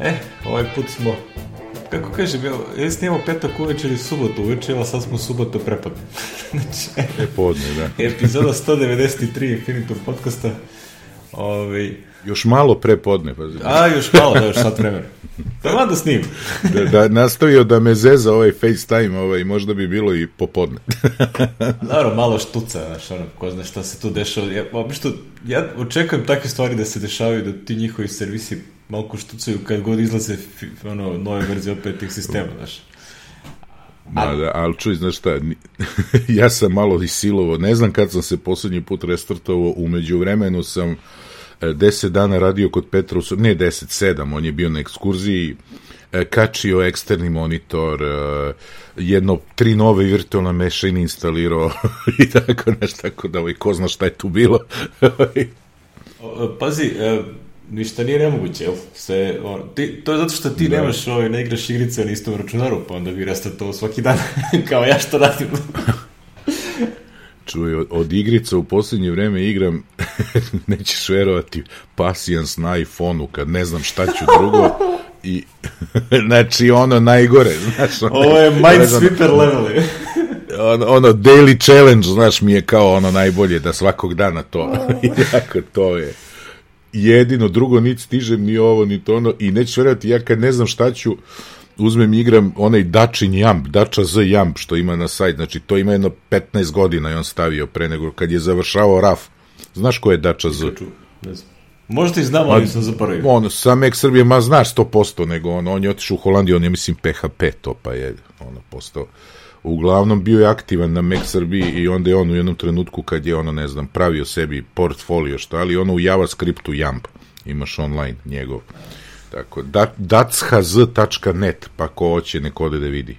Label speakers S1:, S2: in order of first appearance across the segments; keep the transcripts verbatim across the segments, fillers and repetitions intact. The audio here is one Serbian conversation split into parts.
S1: E, ovaj put smo, kako kažem, ja snimamo petak uveče ili subotu uveče, ali sad smo subotu prepodne. Znači,
S2: prepodne, da.
S1: Epizoda sto devedeset tri Infinitum podcasta. Ove...
S2: Još malo prepodne, pazi.
S1: A, još malo, da, još sad vremena. Tamo da snimam.
S2: da, da nastavio da me zeza ovaj FaceTime, ovaj, možda bi bilo i popodne.
S1: Naravno, malo štuca, znaš, ono, ko zna šta se tu dešava. Ja, obično, ja očekujem takve stvari da se dešavaju, da ti njihovi servisi malko štucaju kad god izlaze ono, nove verzije opet tih sistema, znaš.
S2: Ma da, ali čuj, znaš šta, ja sam malo i silovo, ne znam kad sam se poslednji put restartovao, umeđu vremenu sam deset dana radio kod Petra, ne deset, sedam, on je bio na ekskurziji, kačio eksterni monitor, jedno, tri nove virtualne mašine instalirao i tako nešto, tako da ovaj, ko zna šta je tu bilo.
S1: Pazi, ništa nije nemoguće, jel? Sve, on, ti, to je zato što ti da. nemaš, ovaj, ne igraš igrice na istom računaru, pa onda bi restartovao svaki dan, kao ja što radim.
S2: Čuj, od, od igrica u posljednje vreme igram, nećeš verovati, Passions na iPhone-u, kad ne znam šta ću drugo, i, znači, ono najgore, znaš, ono,
S1: ovo je Minesweeper level, je.
S2: Ono, ono, daily challenge, znaš, mi je kao ono najbolje, da svakog dana to, i tako, to je jedino, drugo, niti stižem, ni ovo, ni to ono, i nećeš verovati, ja kad ne znam šta ću, uzmem i igram onaj Dačin Jump, Dača Z Jump, što ima na sajt, znači to ima jedno petnaest godina i on stavio pre nego kad je završavao R A F. Znaš ko je Dača Z?
S1: Ne znam. Možda i znam, ali sam zaboravio.
S2: On, sam ek Srbije, ma znaš sto posto, nego on, on je otišao u Holandiju, on je mislim P H P to, pa je ono postao. Uglavnom bio je aktivan na Mac Srbiji i onda je on u jednom trenutku kad je ono, ne znam, pravio sebi portfolio što, ali ono u JavaScriptu Jump, imaš online njegov. Tako, datshz tačka net, pa ko hoće neko ode da vidi.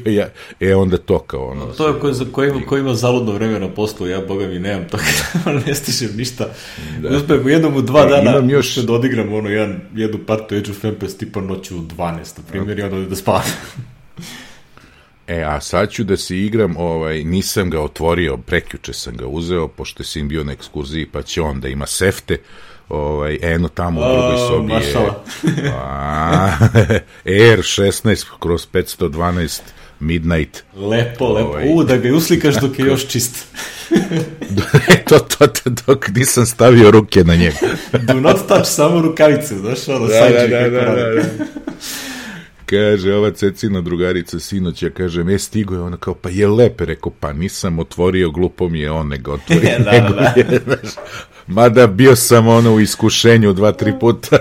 S2: ja, e, onda to kao ono...
S1: To je ko, ko, ima, ko ima zaludno vreme na poslu, ja, boga mi, nemam to, ne stižem ništa. Da. Uspeh, u jednom u dva e, dana još... da odigram ono, jedan, jednu partu Age of Empires tipa noću u dvanaest, na primjer, i onda da spavam.
S2: E, a sad ću da se igram, ovaj, nisam ga otvorio, prekjuče sam ga uzeo, pošto sam bio na ekskurziji, pa će on da ima sefte, ovaj, eno tamo u drugoj sobi je Air šesnaest kroz petsto dvanaest Midnight.
S1: Lepo, lepo. Ovaj, U, da ga uslikaš dok je još čist.
S2: to, to, to, dok nisam stavio ruke na njega.
S1: Do not touch, samo rukavice, znaš, ono,
S2: da,
S1: sajđe
S2: da,
S1: kako
S2: da,
S1: radi.
S2: Da, da. Kaže, ova Cecina drugarica sinoć, ja kažem, e, stigo je, ona kao, pa je lepe, rekao, pa nisam otvorio, glupo mi je on, nego otvorio,
S1: da,
S2: nego
S1: da.
S2: je, znaš, mada bio sam ono u iskušenju dva, tri puta.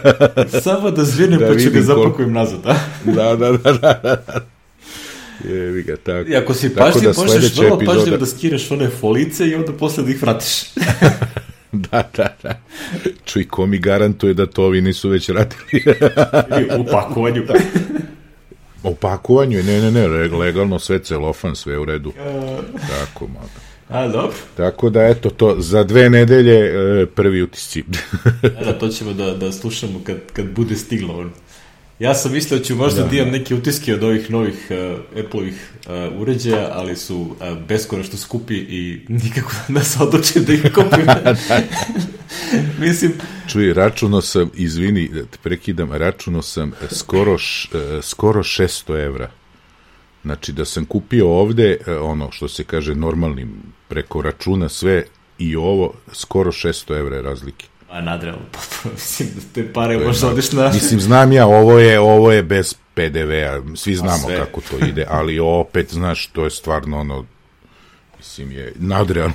S1: Samo da zvinem, da pa ću ga zapakujem nazad, a?
S2: Da, da, da, da, da. Jevi ga, tako.
S1: I ako si pažljiv, da možeš vrlo epizoda... pažljiv da skiraš one folice i onda posle da ih vratiš.
S2: Da, da, da. Čuj, ko mi garantuje da to ovi nisu već radili?
S1: U pakovanju.
S2: U pakovanju, ne, ne, ne, legalno, sve celofan, sve u redu. Tako, malo.
S1: A, dobro.
S2: Tako da, eto, to, za dve nedelje prvi utisci.
S1: Da, to ćemo da, da slušamo kad, kad bude stiglo. On. Ja sam mislio da ću možda da, da imam neke utiske od ovih novih uh, Apple-ovih uh, uređaja, ali su uh, beskonačno skupi i nikako da se odlučim da ih kupim. Mislim...
S2: Čuj, računao sam, izvini, da te prekidam, računao sam skoro, š, uh, skoro šesto evra. Znači, da sam kupio ovde, uh, ono, što se kaže, normalnim, preko računa sve i ovo, skoro šesto evra je razlike.
S1: A nadrealno, potpuno, mislim da te pare možda odeš na...
S2: Mislim, znam ja, ovo je, ovo je bez P D V-a, svi znamo kako to ide, ali opet, znaš, to je stvarno ono, mislim, je nadrealno.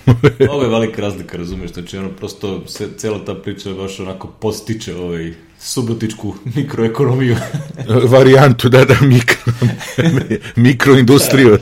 S1: Ovo je velika razlika, razumiješ, znači ono, prosto, se, cela ta priča baš onako postiče ovaj subotičku mikroekonomiju.
S2: Varijantu, da, da, mikro, mikroindustriju.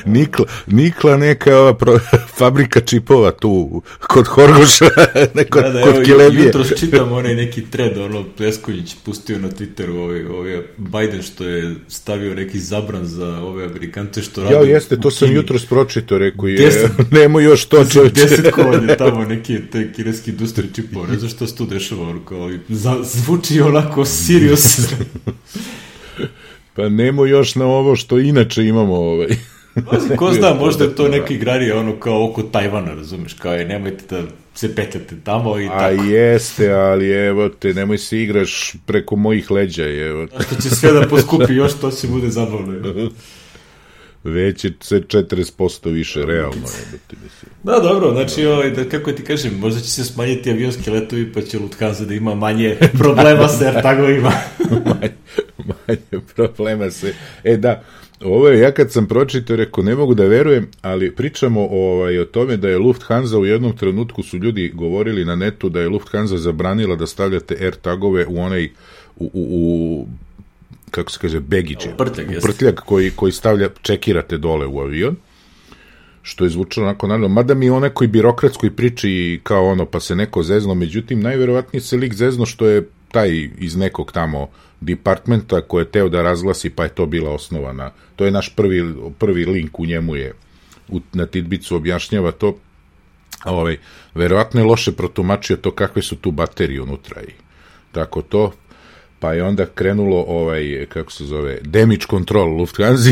S2: Nikla, Nikla neka ova pro, fabrika čipova tu kod Horgoša, neko, da, da, kod evo, Kilebije.
S1: Jutro čitam onaj neki thread, ono, Pleskonjić pustio na Twitteru, ovaj, ovaj Biden što je stavio neki zabran za ove Amerikance što radi.
S2: Ja, jeste, to sam jutro spročito, rekao je, nemo još to čovječe.
S1: Desetkovanje tamo neki te kineski industrije čipova, ne znam što se tu dešava, ono, kao, zvuči onako serious.
S2: Pa nemo još na ovo što inače imamo ovaj.
S1: Mazi, ko zna, možda je to neki igrarije ono kao oko Tajvana, razumeš, kao je nemojte da se petljate tamo i
S2: A
S1: tako.
S2: jeste, ali evo te, nemoj se igraš preko mojih leđa, evo.
S1: A što će sve da poskupi, još to će bude zabavno.
S2: Već je se četrdeset posto više, realno je.
S1: Da, dobro, znači, ovaj, da, kako ti kažem, možda će se smanjiti avionski letovi, pa će Lufthansa da ima manje problema sa AirTagovima.
S2: manje, manje problema se... E da, ovo je, ja kad sam pročitao, rekao, ne mogu da verujem, ali pričamo ovaj, o tome da je Lufthansa u jednom trenutku su ljudi govorili na netu da je Lufthansa zabranila da stavljate AirTagove u onaj, u, u, u kako se kaže, baggage,
S1: prtljak,
S2: prtljak koji, koji stavlja, čekirate dole u avion, što je zvučalo onako naravno, mada mi je o nekoj birokratskoj priči kao ono, pa se neko zezno, međutim, najverovatnije se lik zezno što je taj iz nekog tamo departmenta koji je teo da razglasi, pa je to bila osnovana. To je naš prvi, prvi link u njemu je, u, na Tidbicu objašnjava to, ovaj, verovatno je loše protumačio to kakve su tu baterije unutra i tako to, pa je onda krenulo ovaj, kako se zove, damage control Lufthansa,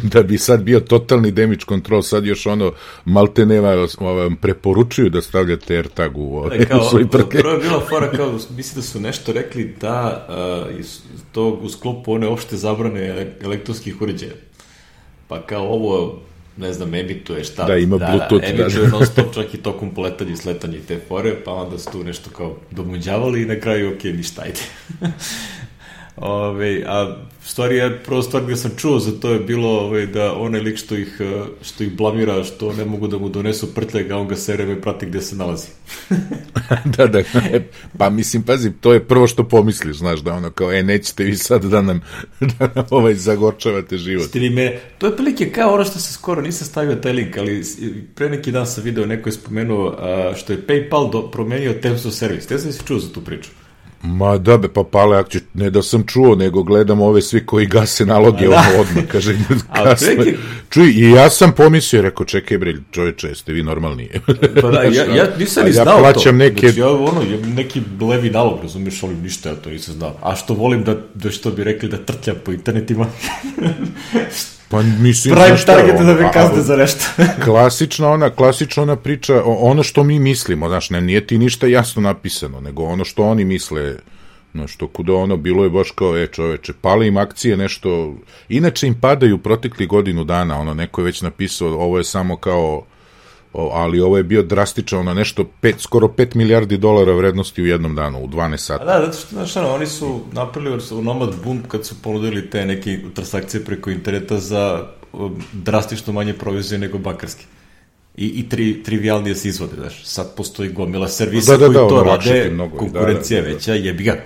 S2: da bi sad bio totalni damage control, sad još ono malteneva vam preporučuju da stavljate AirTag u, ovaj,
S1: kao,
S2: u svoj prke.
S1: Prvo je bila fora kao, mislim da su nešto rekli da uh, iz tog u sklopu one opšte zabrane elektronskih uređaja. Pa kao ovo, ne znam, emituje šta.
S2: Da, ima
S1: da,
S2: Bluetooth.
S1: Da, emituje non stop čak i tokom poletanja i sletanja i te fore, pa onda su tu nešto kao domuđavali i na kraju, ok, ništa, ajde. Ove, a stvari je, prvo stvar gde sam čuo za to je bilo ove, da onaj lik što ih, što ih blamira, što ne mogu da mu donesu prtljak, a on ga sereme i prati gde se nalazi.
S2: da, da, pa mislim, pazi, to je prvo što pomisliš, znaš, da ono kao, e, nećete vi sad da nam, da nam ovaj zagorčavate život.
S1: Ste vi me, to je prilike kao ono što se skoro, nisam stavio taj link, ali pre neki dan sam video, neko je spomenuo a, što je PayPal do, promenio Terms of Service. Te sam si čuo za tu priču?
S2: Ma da be, pa pale akcije, ne da sam čuo, nego gledam ove svi koji gase naloge ono odmah, kaže, kasno. Čuj, i ja sam pomislio, rekao, čekaj bre, čoveče, ste vi normalni.
S1: Pa da, ja, ja nisam ni znao
S2: ja plaćam
S1: to.
S2: Neke...
S1: Znači, ja, ono, neki levi nalog, razumiješ, ali ništa, ja to nisam znao. A što volim da, da što bi rekli, da trtljam po internetima.
S2: Pa mislim,
S1: Prime targete da me kazne za nešto.
S2: klasična ona, klasična ona priča, ono što mi mislimo, znaš, ne, nije ti ništa jasno napisano, nego ono što oni misle, znaš, to kuda ono, bilo je baš kao, e, čoveče, pali im akcije nešto, inače im padaju protekli godinu dana, ono, neko je već napisao, ovo je samo kao, ali ovo je bio drastično, ono, nešto, pet, skoro pet milijardi dolara vrednosti u jednom danu, u dvanaest sata.
S1: A da, zato što, znaš, ono, oni su napravili u Nomad Boom kad su ponudili te neke transakcije preko interneta za um, drastično manje provizije nego bankarski. I, i tri, trivialnije se izvode, znaš. Sad postoji gomila servisa
S2: da, da,
S1: koji
S2: da,
S1: to
S2: ono,
S1: rade,
S2: mnogo,
S1: konkurencija
S2: da, da,
S1: veća, jebi ga.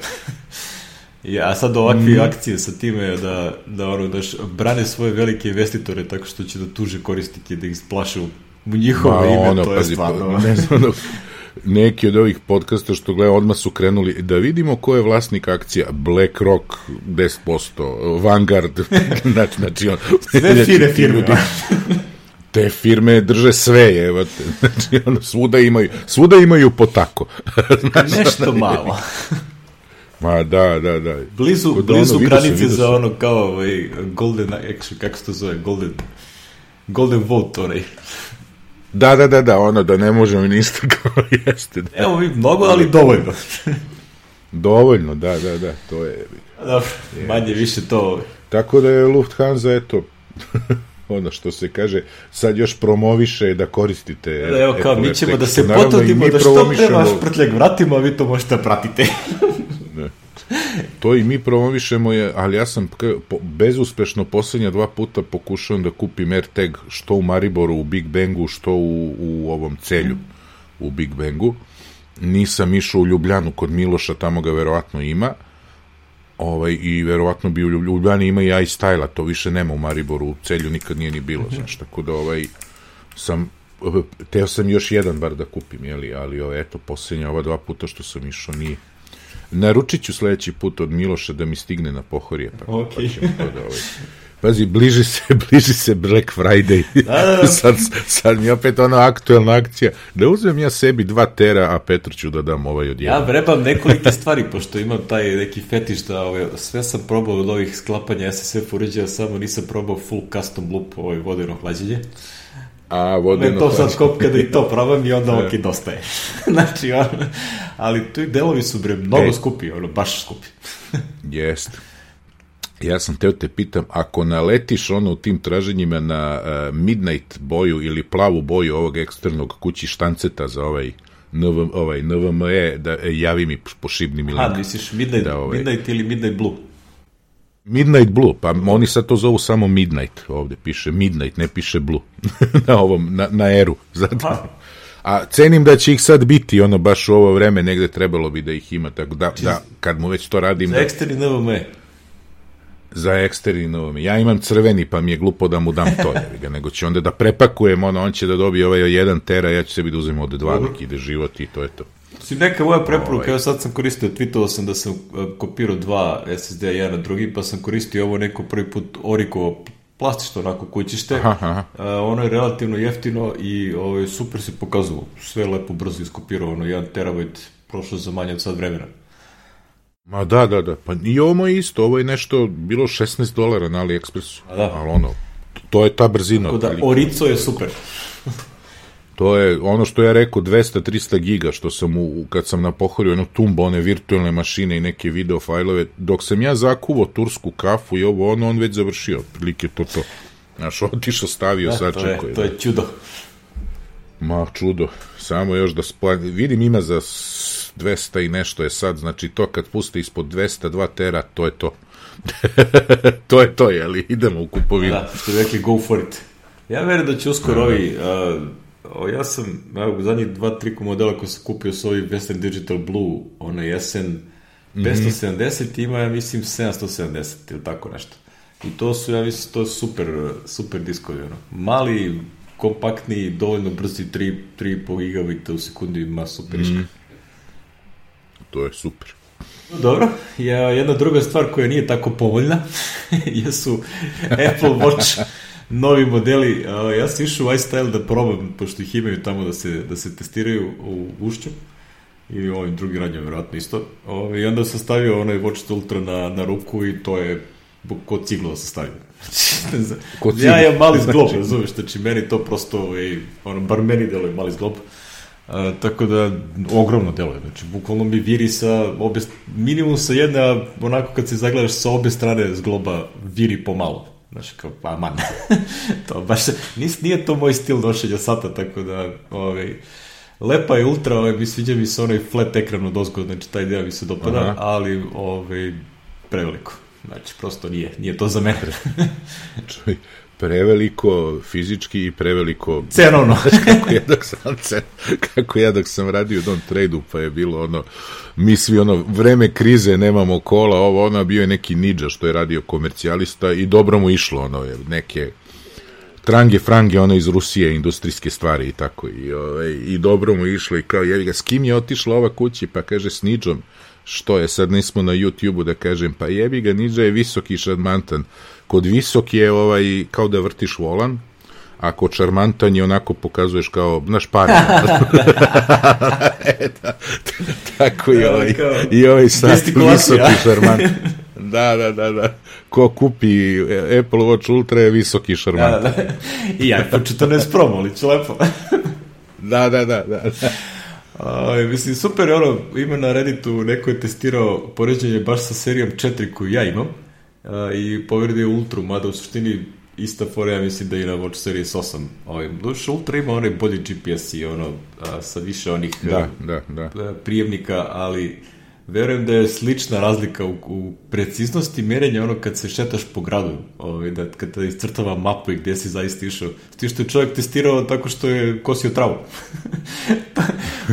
S1: A sad ovakve mm. akcije sa time da, da, ono, da brane svoje velike investitore tako što će da tuže korisnike, da ih splaše u u njihovo ime, ono, to je pazi, stvarno. Ne znam,
S2: neki od ovih podcasta što gledam, odmah su krenuli da vidimo ko je vlasnik akcija. BlackRock deset posto, Vanguard, znači, znači on,
S1: sve fine firme.
S2: Te firme drže sve, evo te, znači ono, svuda imaju, svuda imaju po tako.
S1: Znači, nešto malo.
S2: Ma da, da, da.
S1: Blizu, Kod blizu ono, granice za ono kao ovaj, golden, actually, kako se to zove, golden, golden vote, onaj.
S2: Da, da, da, da, ono da ne možemo ništa kao jeste. Da.
S1: Evo vi mnogo, ali dovoljno.
S2: Dovoljno, da, da, da, to je.
S1: Dobro, manje više to.
S2: Tako da je Lufthansa, eto, ono što se kaže, sad još promoviše da koristite.
S1: Da, evo kao, mi ćemo da se potrudimo da što pre vaš prtljak vratimo, a vi to možete pratiti.
S2: To i mi promovišemo je, ali ja sam bezuspešno poslednja dva puta pokušavam da kupim AirTag što u Mariboru, u Big Bangu, što u, u ovom Celju, u Big Bangu. Nisam išao u Ljubljanu kod Miloša, tamo ga verovatno ima. Ovaj, i verovatno bi u Ljubljani ima i iStyle-a, to više nema u Mariboru, u Celju nikad nije ni bilo, znaš, tako da ovaj, sam, teo sam još jedan bar da kupim, jeli, ali ovaj, eto, poslednja ova dva puta što sam išao nije. Naručit ću sledeći put od Miloša da mi stigne na Pohorje, pa,
S1: okay.
S2: pa ćemo to da, ovaj, Pazi, bliži se, bliži se Black Friday. Da, da, da. sad, sad mi je opet ona aktuelna akcija. Da uzmem ja sebi dva tera, a Petru ću da dam ovaj od jedan.
S1: Ja vrebam nekolike stvari, pošto imam taj neki fetiš da ove, sve sam probao od ovih sklapanja S S F uređaja, samo nisam probao full custom loop, ovaj vodeno hlađenje.
S2: A, vodeno
S1: to sad kop kada i to probam i onda ok, dostaje. Znači, on, ali tu delovi su bre mnogo e, skupi, ono, baš skupi.
S2: Jeste. Ja sam teo te pitam, ako naletiš ono u tim traženjima na uh, midnight boju ili plavu boju ovog eksternog kući štanceta za ovaj, NV, ovaj N V M E, da e, javi mi po šibnim ili...
S1: Aha, misliš midnight, da, ovaj, midnight ili midnight blue?
S2: Midnight blue, pa oni sad to zovu samo midnight, ovde piše midnight, ne piše blue, na ovom, na, na eru, zato. A cenim da će ih sad biti, ono, baš u ovo vreme negde trebalo bi da ih ima, tako da, da kad mu već to radim...
S1: Za eksterni N V M E.
S2: Za eksterni N V M E. Ja imam crveni, pa mi je glupo da mu dam to, ga, nego će onda da prepakujem, ono, on će da dobije ovaj jedan tera, ja ću sebi da uzem ovde dva, uh-huh. dok ide život i to je to.
S1: Si neka moja preporuka, ovaj. Evo sad sam koristio, tweetovao sam da sam kopirao dva S S D-a jedan na drugi, pa sam koristio ovo neko prvi put Oriko plastično onako kućište. Aha, aha. Uh, ono je relativno jeftino i ovaj, super se pokazalo. Sve lepo brzo iskopirao, ono, jedan terabajt prošlo za manje od sad vremena.
S2: Ma da, da, da. Pa i ovo je isto, ovo je nešto bilo šesnaest dolara na AliExpressu.
S1: A da.
S2: Ali ono, to je ta brzina.
S1: Tako da, Orico je super.
S2: To je ono što ja rekao, dvesta do trista giga, što sam u, kad sam napohorio ono tumbo, one virtualne mašine i neke video fajlove, dok sam ja zakuvao tursku kafu i ovo, ono, on već završio, prilike to to. Znaš, otišao, stavio,
S1: da,
S2: sačekao.
S1: To je, to je čudo.
S2: Ma, čudo. Samo još da splan... Vidim, ima za dvesta i nešto je sad, znači to kad puste ispod dvesta dva tera, to je to. To je to, jeli? Idemo u kupovinu.
S1: Da, što je rekli, go for it. Ja verujem da će uskoro ovi... Uh, O, ja sam, evo, u zadnjih dva, tri modela koji sam kupio su ovi Western Digital Blue, onaj S N petsto sedamdeset, ima, ja mislim, sedamsto sedamdeset ili tako nešto. I to su, ja mislim, to super, super diskovi, ono. Mali, kompaktni, dovoljno brzi, tri i po gigabita u sekundi, ima super iška. Mm.
S2: To je super.
S1: Dobro, ja, jedna druga stvar koja nije tako povoljna jesu Apple Watch novi modeli. Uh, ja sam išao u iStyle da probam, pošto ih imaju tamo da se, da se testiraju u Ušću i u ovim drugim radnjama vjerojatno isto. Uh, I onda sam stavio onaj Watch Ultra na, na ruku i to je kod ciglo da sam stavio. Ja imam mali zglob, razumiješ, znači meni to prosto, ej, ono, bar meni deluje mali zglob. Uh, tako da, ogromno deluje, znači, bukvalno mi viri sa obe, minimum sa jedna, onako kad se zagledaš sa obe strane zgloba, viri pomalo. Znaš, kao, pa man, to baš, nis, nije to moj stil nošenja sata, tako da, ovaj, lepa je ultra, ovaj, mi sviđa mi se onaj flat ekran od ozgo, znači, taj deo mi se dopada, aha, ali, ovaj, preveliko, znači, prosto nije, nije to za mene.
S2: Čuj, preveliko fizički i preveliko
S1: cenovno.
S2: kako ja dok sam cen, kako ja dok sam radio u tom tradu, pa je bilo ono, mi svi ono, vreme krize, nemamo kola, ovo, ono, bio je neki Ninja što je radio komercijalista i dobro mu išlo, ono, neke trange, frange, ono, iz Rusije, industrijske stvari i tako, i, ove, i dobro mu išlo i kao, jevi ga, s kim je otišla ova kući, pa kaže, s Ninjom, što je, sad nismo na YouTube-u da kažem, pa jebi ga, Ninja je visoki šarmantan. Kod visok je ovaj, kao da vrtiš volan, a kod šarmantan je onako pokazuješ kao, znaš, pari. e, da, tako i ovaj, i ovaj sad visoki šarmantan. Da, da, da, da. Ko kupi Apple Watch Ultra je visoki šarmantan.
S1: Da, da, da. I ja, po četrnaest Pro, ali ću lepo.
S2: da, da, da, da.
S1: A, mislim, super je ono, ima na Redditu, neko je testirao poređenje baš sa serijom četiri koju ja imam, a, i povredio Ultru, mada u suštini ista fora, ja mislim da je na Watch Series osam. Ovaj, duše, Ultra ima onaj bolji G P S i ono, a, sa više onih
S2: da, da, da.
S1: prijemnika, ali verujem da je slična razlika u, u preciznosti merenja ono kad se šetaš po gradu, ovaj, da kad te iscrtava mapu i gdje si zaista išao. Ti što je čovjek testirao tako što je kosio travu. pa,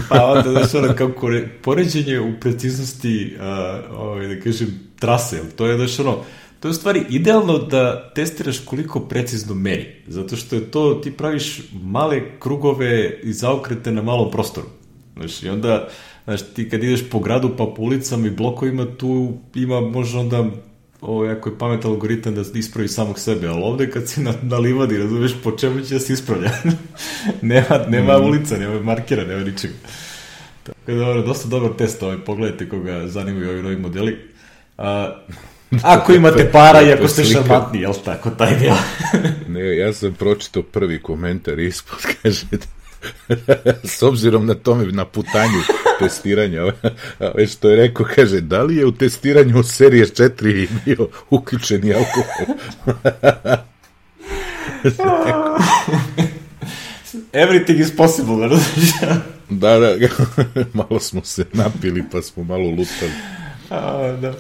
S1: pa onda, znaš, ono, kako poređenje u preciznosti, a, ovaj, da kažem, trase, to je, znaš, ono, to je u stvari idealno da testiraš koliko precizno meri, zato što je to, ti praviš male krugove i zaokrete na malom prostoru. Znaš, i onda, znaš, ti kad ideš po gradu pa po ulicama i blokovima, tu ima možda onda ovo jako je pametan algoritam da ispravi samog sebe, ali ovde kad si na, na livadi, razumeš, po čemu će da se ispravlja? nema nema mm. ulica, nema markera, nema ničega. Tako da, ovo, dosta dobar test, ovaj, pogledajte koga zanimaju ovi novi modeli. A, ako imate para i ako ste šarmantni, jel tako, taj deo?
S2: Ne, ja sam pročitao prvi komentar ispod, kaže, s obzirom na tome, na putanju testiranja, ove što je rekao, kaže, da li je u testiranju serije četiri bio uključeni alkohol?
S1: Everything is possible, različno.
S2: Da, da, malo smo se napili, pa smo malo lutali.
S1: A, da.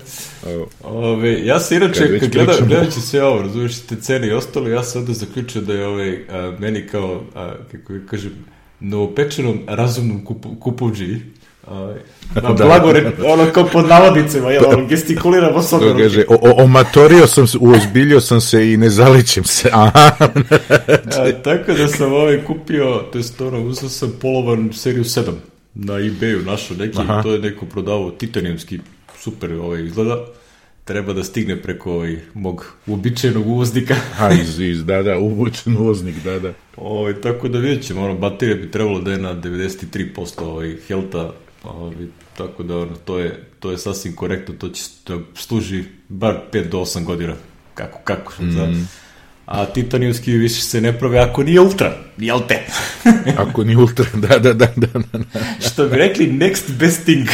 S1: Ove, ja se inače, kad gleda, gledajući sve ovo, razumiješ te cene i ostalo, ja sam onda zaključio da je ovaj, a, meni kao, a, kako je kažem, novopečenom razumnom kupu, kupovđi, na blagore, ono kao pod navodnicima, jel, ono, gestikuliramo s ovom.
S2: Kaže, omatorio sam se, uozbiljio sam se i ne zaličim se, aha.
S1: A, tako da sam ovaj kupio, to jest ono, uzao sam polovan seriju sedam na eBayu, našao neki, aha. To je neko prodavao titanijumski, super ovaj izgleda, treba da stigne preko ovaj mog uobičajenog uvoznika.
S2: A, iz, iz, da, da, uobičajen uvoznik, da, da.
S1: Ovaj, tako da vidjet ćemo, ono, baterija bi trebalo da je na devedeset tri posto ovaj, healtha, ovaj, tako da ono, to, je, to je sasvim korektno, to će da služi bar pet do osam godina, kako, kako, mm. za... A titanijumski više se ne prave ako nije ultra, jel te?
S2: Ako nije ultra, da, da, da, da, da.
S1: Što bi rekli, next best thing.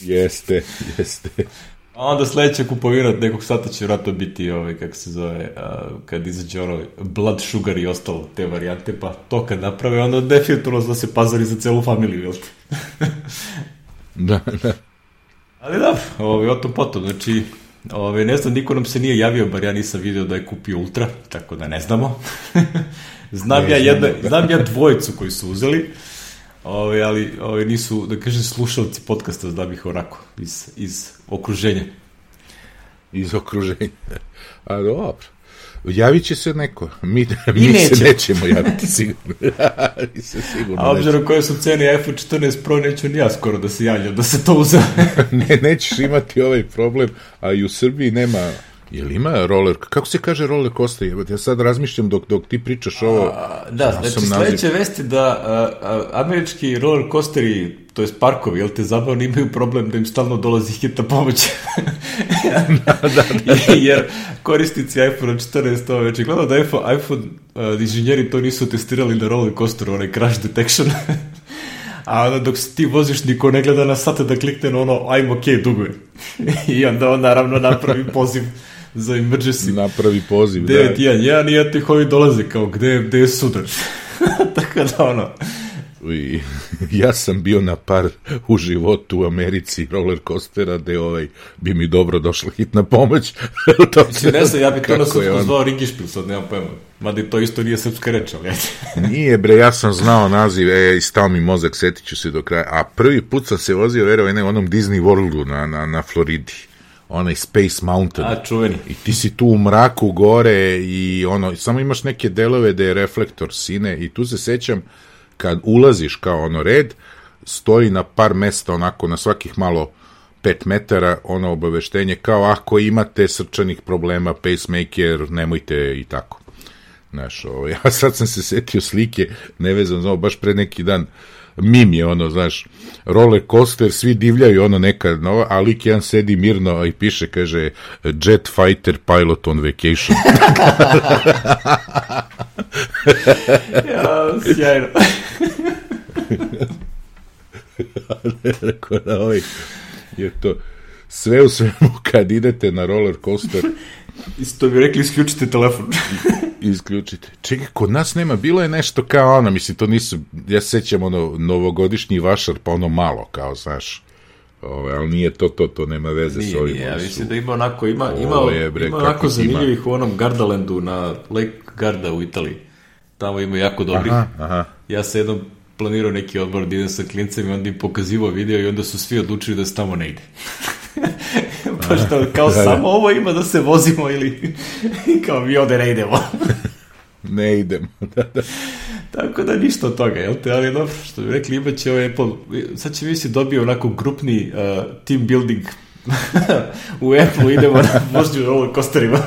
S2: Jeste, jeste.
S1: A onda sledeća kupovina nekog sata će vratno biti, ovaj, kako se zove, a, kad izađe ono blood sugar i ostalo, te varijante, pa to kad naprave, onda definitivno da se pazari za celu familiju, jel te?
S2: Da, da.
S1: Ali da, ovaj, o tom potom, znači, ovaj, ne znam, niko nam se nije javio, bar ja nisam vidio da je kupio ultra, tako da ne znamo. znam, ne, ja jedna, znam ja dvojicu koji su uzeli, Ove, ali ove, nisu, da kažem, slušalci podcasta, da bih onako, iz, iz okruženja.
S2: Iz okruženja. A dobro. Javit će se neko. Mi, mi se nećemo javiti, sigurno. mi se sigurno
S1: A obzirom koje su cene iPhone četrnaest Pro, neću ni ja skoro da se javljam, da se to uzme.
S2: ne, nećeš imati ovaj problem, a i u Srbiji nema... Jel ima roller, kako se kaže roller coaster? Ja sad razmišljam dok, dok ti pričaš ovo.
S1: A, da, znači sledeće vesti da a, a, američki roller coasteri, to je parkovi, jel te zabavno, imaju problem da im stalno dolazi hitna pomoć.
S2: da, da, da.
S1: Jer korisnici iPhone četrnaest, ovo već je gledao da iPhone, iPhone uh, inženjeri to nisu testirali na roller coasteru, onaj crash detection. A onda dok se ti voziš, niko ne gleda na sate da klikne na ono I'm ok, duguje. I onda on naravno napravi poziv za emergency.
S2: Napravi poziv, da.
S1: devet jedan jedan i ja tih ovi dolaze kao gde, gde je sudar. Tako da ono...
S2: I, ja sam bio na par u životu u Americi roller coastera gde ovaj, bi mi dobro došla hitna pomoć.
S1: to se, ne znam, ja bi to na srpsko on... zvao Ringišpil, sad nemam pojma. Mada to isto nije srpska reč, ali
S2: nije bre, ja sam znao naziv, e, i stao mi mozak, setit ću se do kraja. A prvi put sam se vozio, verovaj, ne, onom Disney Worldu na, na, na Floridi. Onaj Space Mountain.
S1: A, čuveni.
S2: I ti si tu u mraku gore i ono, samo imaš neke delove da je reflektor sine i tu se sećam kad ulaziš kao ono red, stoji na par mesta onako na svakih malo pet metara ono obaveštenje kao ako imate srčanih problema, pacemaker, nemojte i tako. Znaš, ovo, ja sad sam se setio slike, nevezano, znao, baš pre neki dan, mim je ono, znaš, roller coaster, svi divljaju ono neka nova, a lik jedan sedi mirno i piše, kaže, jet fighter pilot on vacation.
S1: ja, sjajno.
S2: Rekao da ovaj, je to sve u svemu kad idete na roller coaster.
S1: Isto bi rekli, isključite telefon.
S2: Isključite. Čekaj, kod nas nema, bilo je nešto kao ono, mislim, to nisu, ja se sećam ono, novogodišnji vašar, pa ono malo, kao, znaš, ove, ali nije to, to, to nema veze
S1: nije,
S2: s ovim.
S1: Nije, ja mislim da ima onako, ima, ima, je, bre, ima onako zanimljivih u onom Gardalandu na Lake Garda u Italiji. Tamo ima jako dobrih.
S2: Aha, aha.
S1: Ja se jednom planirao neki odbor da idem sa klincem i onda im pokazivao video i onda su svi odlučili da se tamo ne ide. Pa što, kao da, samo da. Ovo ima da se vozimo ili kao mi ovde ne idemo.
S2: Ne idemo, da, da.
S1: Tako da ništa od toga, jel te? Ali dobro, što bi rekli, imaće ovaj Apple, sad će mi si dobio onako grupni uh, team building u Apple idemo na vožnju roller coasterima.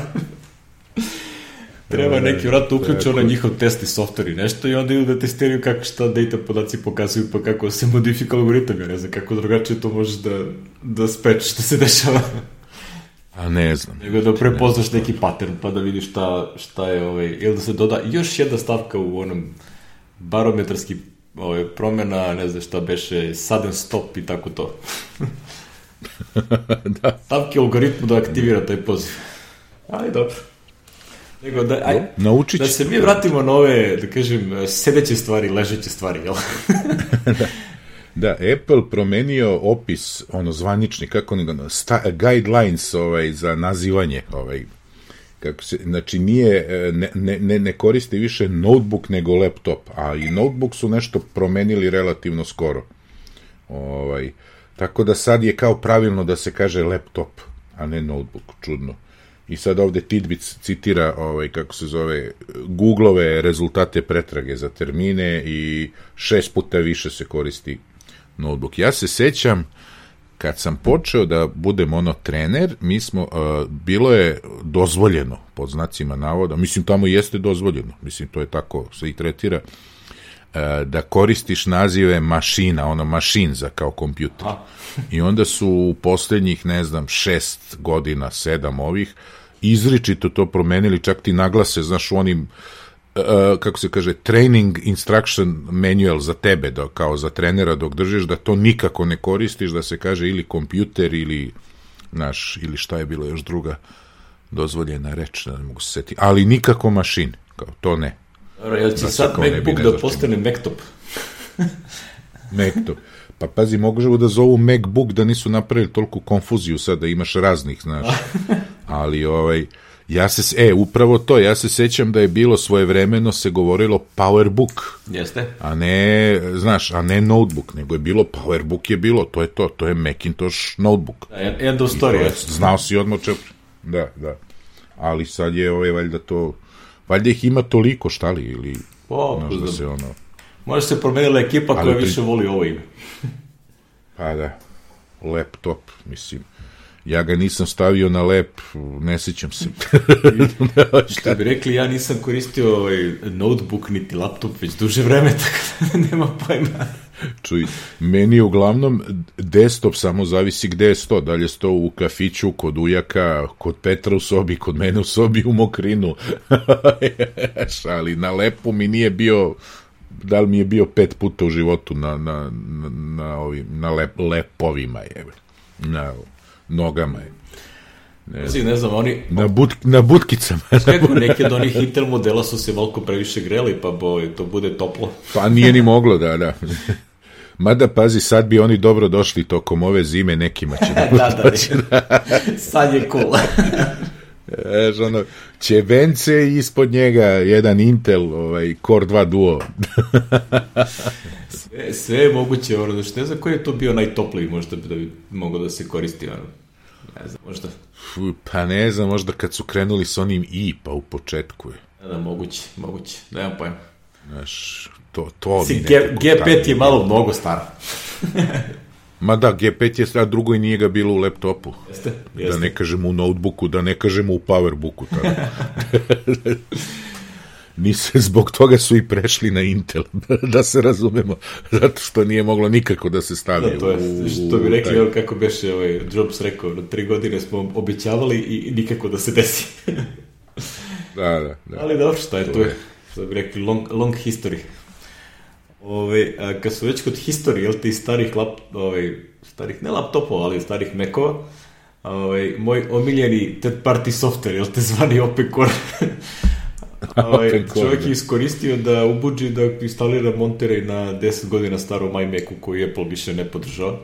S1: Treba neki vratno uključiti onaj njihov testni software i nešto i onda idu da testiraju kako šta data podaci pokazuju pa kako se modifika algoritam, ja ne znam kako drugačije to možeš da, da speč što se dešava.
S2: A ne znam.
S1: Nego da prepoznaš neki pattern pa da vidiš šta, šta je ovaj, ili da se doda još jedna stavka u onom barometarski ovaj, promjena, ne znam šta beše, sudden stop i tako to. Da. Stavke u algoritmu da aktivira taj poziv. Ali dobro. Nego da, aj, da se mi vratimo na ove, da kažem, sedeće stvari, ležeće stvari, jel?
S2: Da. Da, Apple promenio opis, ono, zvanični, kako ne ga, guidelines ovaj, za nazivanje, ovaj, kako se, znači nije, ne, ne, ne koristi više notebook nego laptop, a i notebook su nešto promenili relativno skoro. Ovaj, tako da sad je kao pravilno da se kaže laptop, a ne notebook, čudno. I sad ovde Tidbits citira, ovaj, kako se zove, Google-ove rezultate pretrage za termine i šest puta više se koristi notebook. Ja se sećam, kad sam počeo da budem ono trener, mi smo, uh, bilo je dozvoljeno, pod znacima navoda, mislim tamo jeste dozvoljeno, mislim to je tako se i tretira, uh, da koristiš nazive mašina, ono mašin za kao kompjuter. I onda su u poslednjih, ne znam, šest godina, sedam ovih, izričito to promenili, čak ti naglase, znaš, u onim, uh, kako se kaže, training instruction manual za tebe, da, kao za trenera dok držiš, da to nikako ne koristiš, da se kaže ili kompjuter ili, znaš, ili šta je bilo još druga dozvoljena reč, da ne mogu se setiti, ali nikako mašin, kao to ne.
S1: Dobro, jel će da sad MacBook da postane Mactop?
S2: Mactop. Pa pazi, mogu da zovu MacBook da nisu napravili toliko konfuziju sad da imaš raznih, znaš. Ali, ovaj, ja se, e, upravo to, ja se sećam da je bilo svojevremeno se govorilo PowerBook.
S1: Jeste.
S2: A ne, znaš, a ne notebook, nego je bilo, PowerBook je bilo, to je to, to je Macintosh notebook.
S1: Da, end of story.
S2: Je, znao si odmah čep. Da, da. Ali sad je, ovaj, valjda to, valjda ih ima toliko, šta li, ili,
S1: o,
S2: znaš da se ono...
S1: Možda se promenila ekipa koja pri... više voli ovo ime.
S2: Pa da, laptop, mislim. Ja ga nisam stavio na lep, ne sjećam se.
S1: Što bi rekli, ja nisam koristio ovaj notebook niti laptop već duže vreme, tako da nema pojma.
S2: Čuj, meni je uglavnom desktop samo zavisi gde je sto, da li je sto u kafiću, kod ujaka, kod Petra u sobi, kod mene u sobi u mokrinu. Ali na lepu mi nije bio... da li mi je bio pet puta u životu na, na, na, na, ovim, na lep, lepovima je, na nogama je.
S1: Ne znam, ne znam oni...
S2: Na, but, na butkicama.
S1: Kako, neke od onih Intel modela su se veliko previše greli, pa bo, to bude toplo.
S2: Pa nije ni moglo, da, da. Mada, pazi, sad bi oni dobro došli tokom ove zime, nekima će da...
S1: da, da, da. Sad je cool.
S2: Eš, ono, ćebence i ispod njega jedan Intel, ovaj, Core dva Duo.
S1: sve, sve je moguće, ono, da što ne znam koji je to bio najtopliji, možda da bi mogao da se koristi, ono, ne znam, možda.
S2: Fuh, pa ne znam, možda kad su krenuli s onim i, pa u početku je.
S1: Da, da, moguće, moguće, nemam pojma.
S2: Znaš, to, to
S1: si, G, G pet je malo mnogo staro.
S2: Ma da, G pet je, a drugo i nije ga bilo u laptopu.
S1: Jeste, jeste.
S2: Da ne kažemo u notebooku, da ne kažemo u powerbooku. Nise, zbog toga su i prešli na Intel, da se razumemo, zato što nije moglo nikako da se stavi.
S1: Da, to je, u, što bi rekli, taj... kako beše ovaj Jobs rekao, na tri godine smo obećavali i nikako da se desi.
S2: Da, da, da.
S1: Ali dobro, šta je to, to je, što bi rekli, long, long history. Ove, a kad su već kod history, jel ti starih lap, ove, starih, ne laptopova, ali starih Macova, ove, moj omiljeni third party software, jel te zvani OpenCore, ove, čovjek je iskoristio da ubuđi da instalira Monterey na deset godina starom iMacu koji Apple više ne podržava,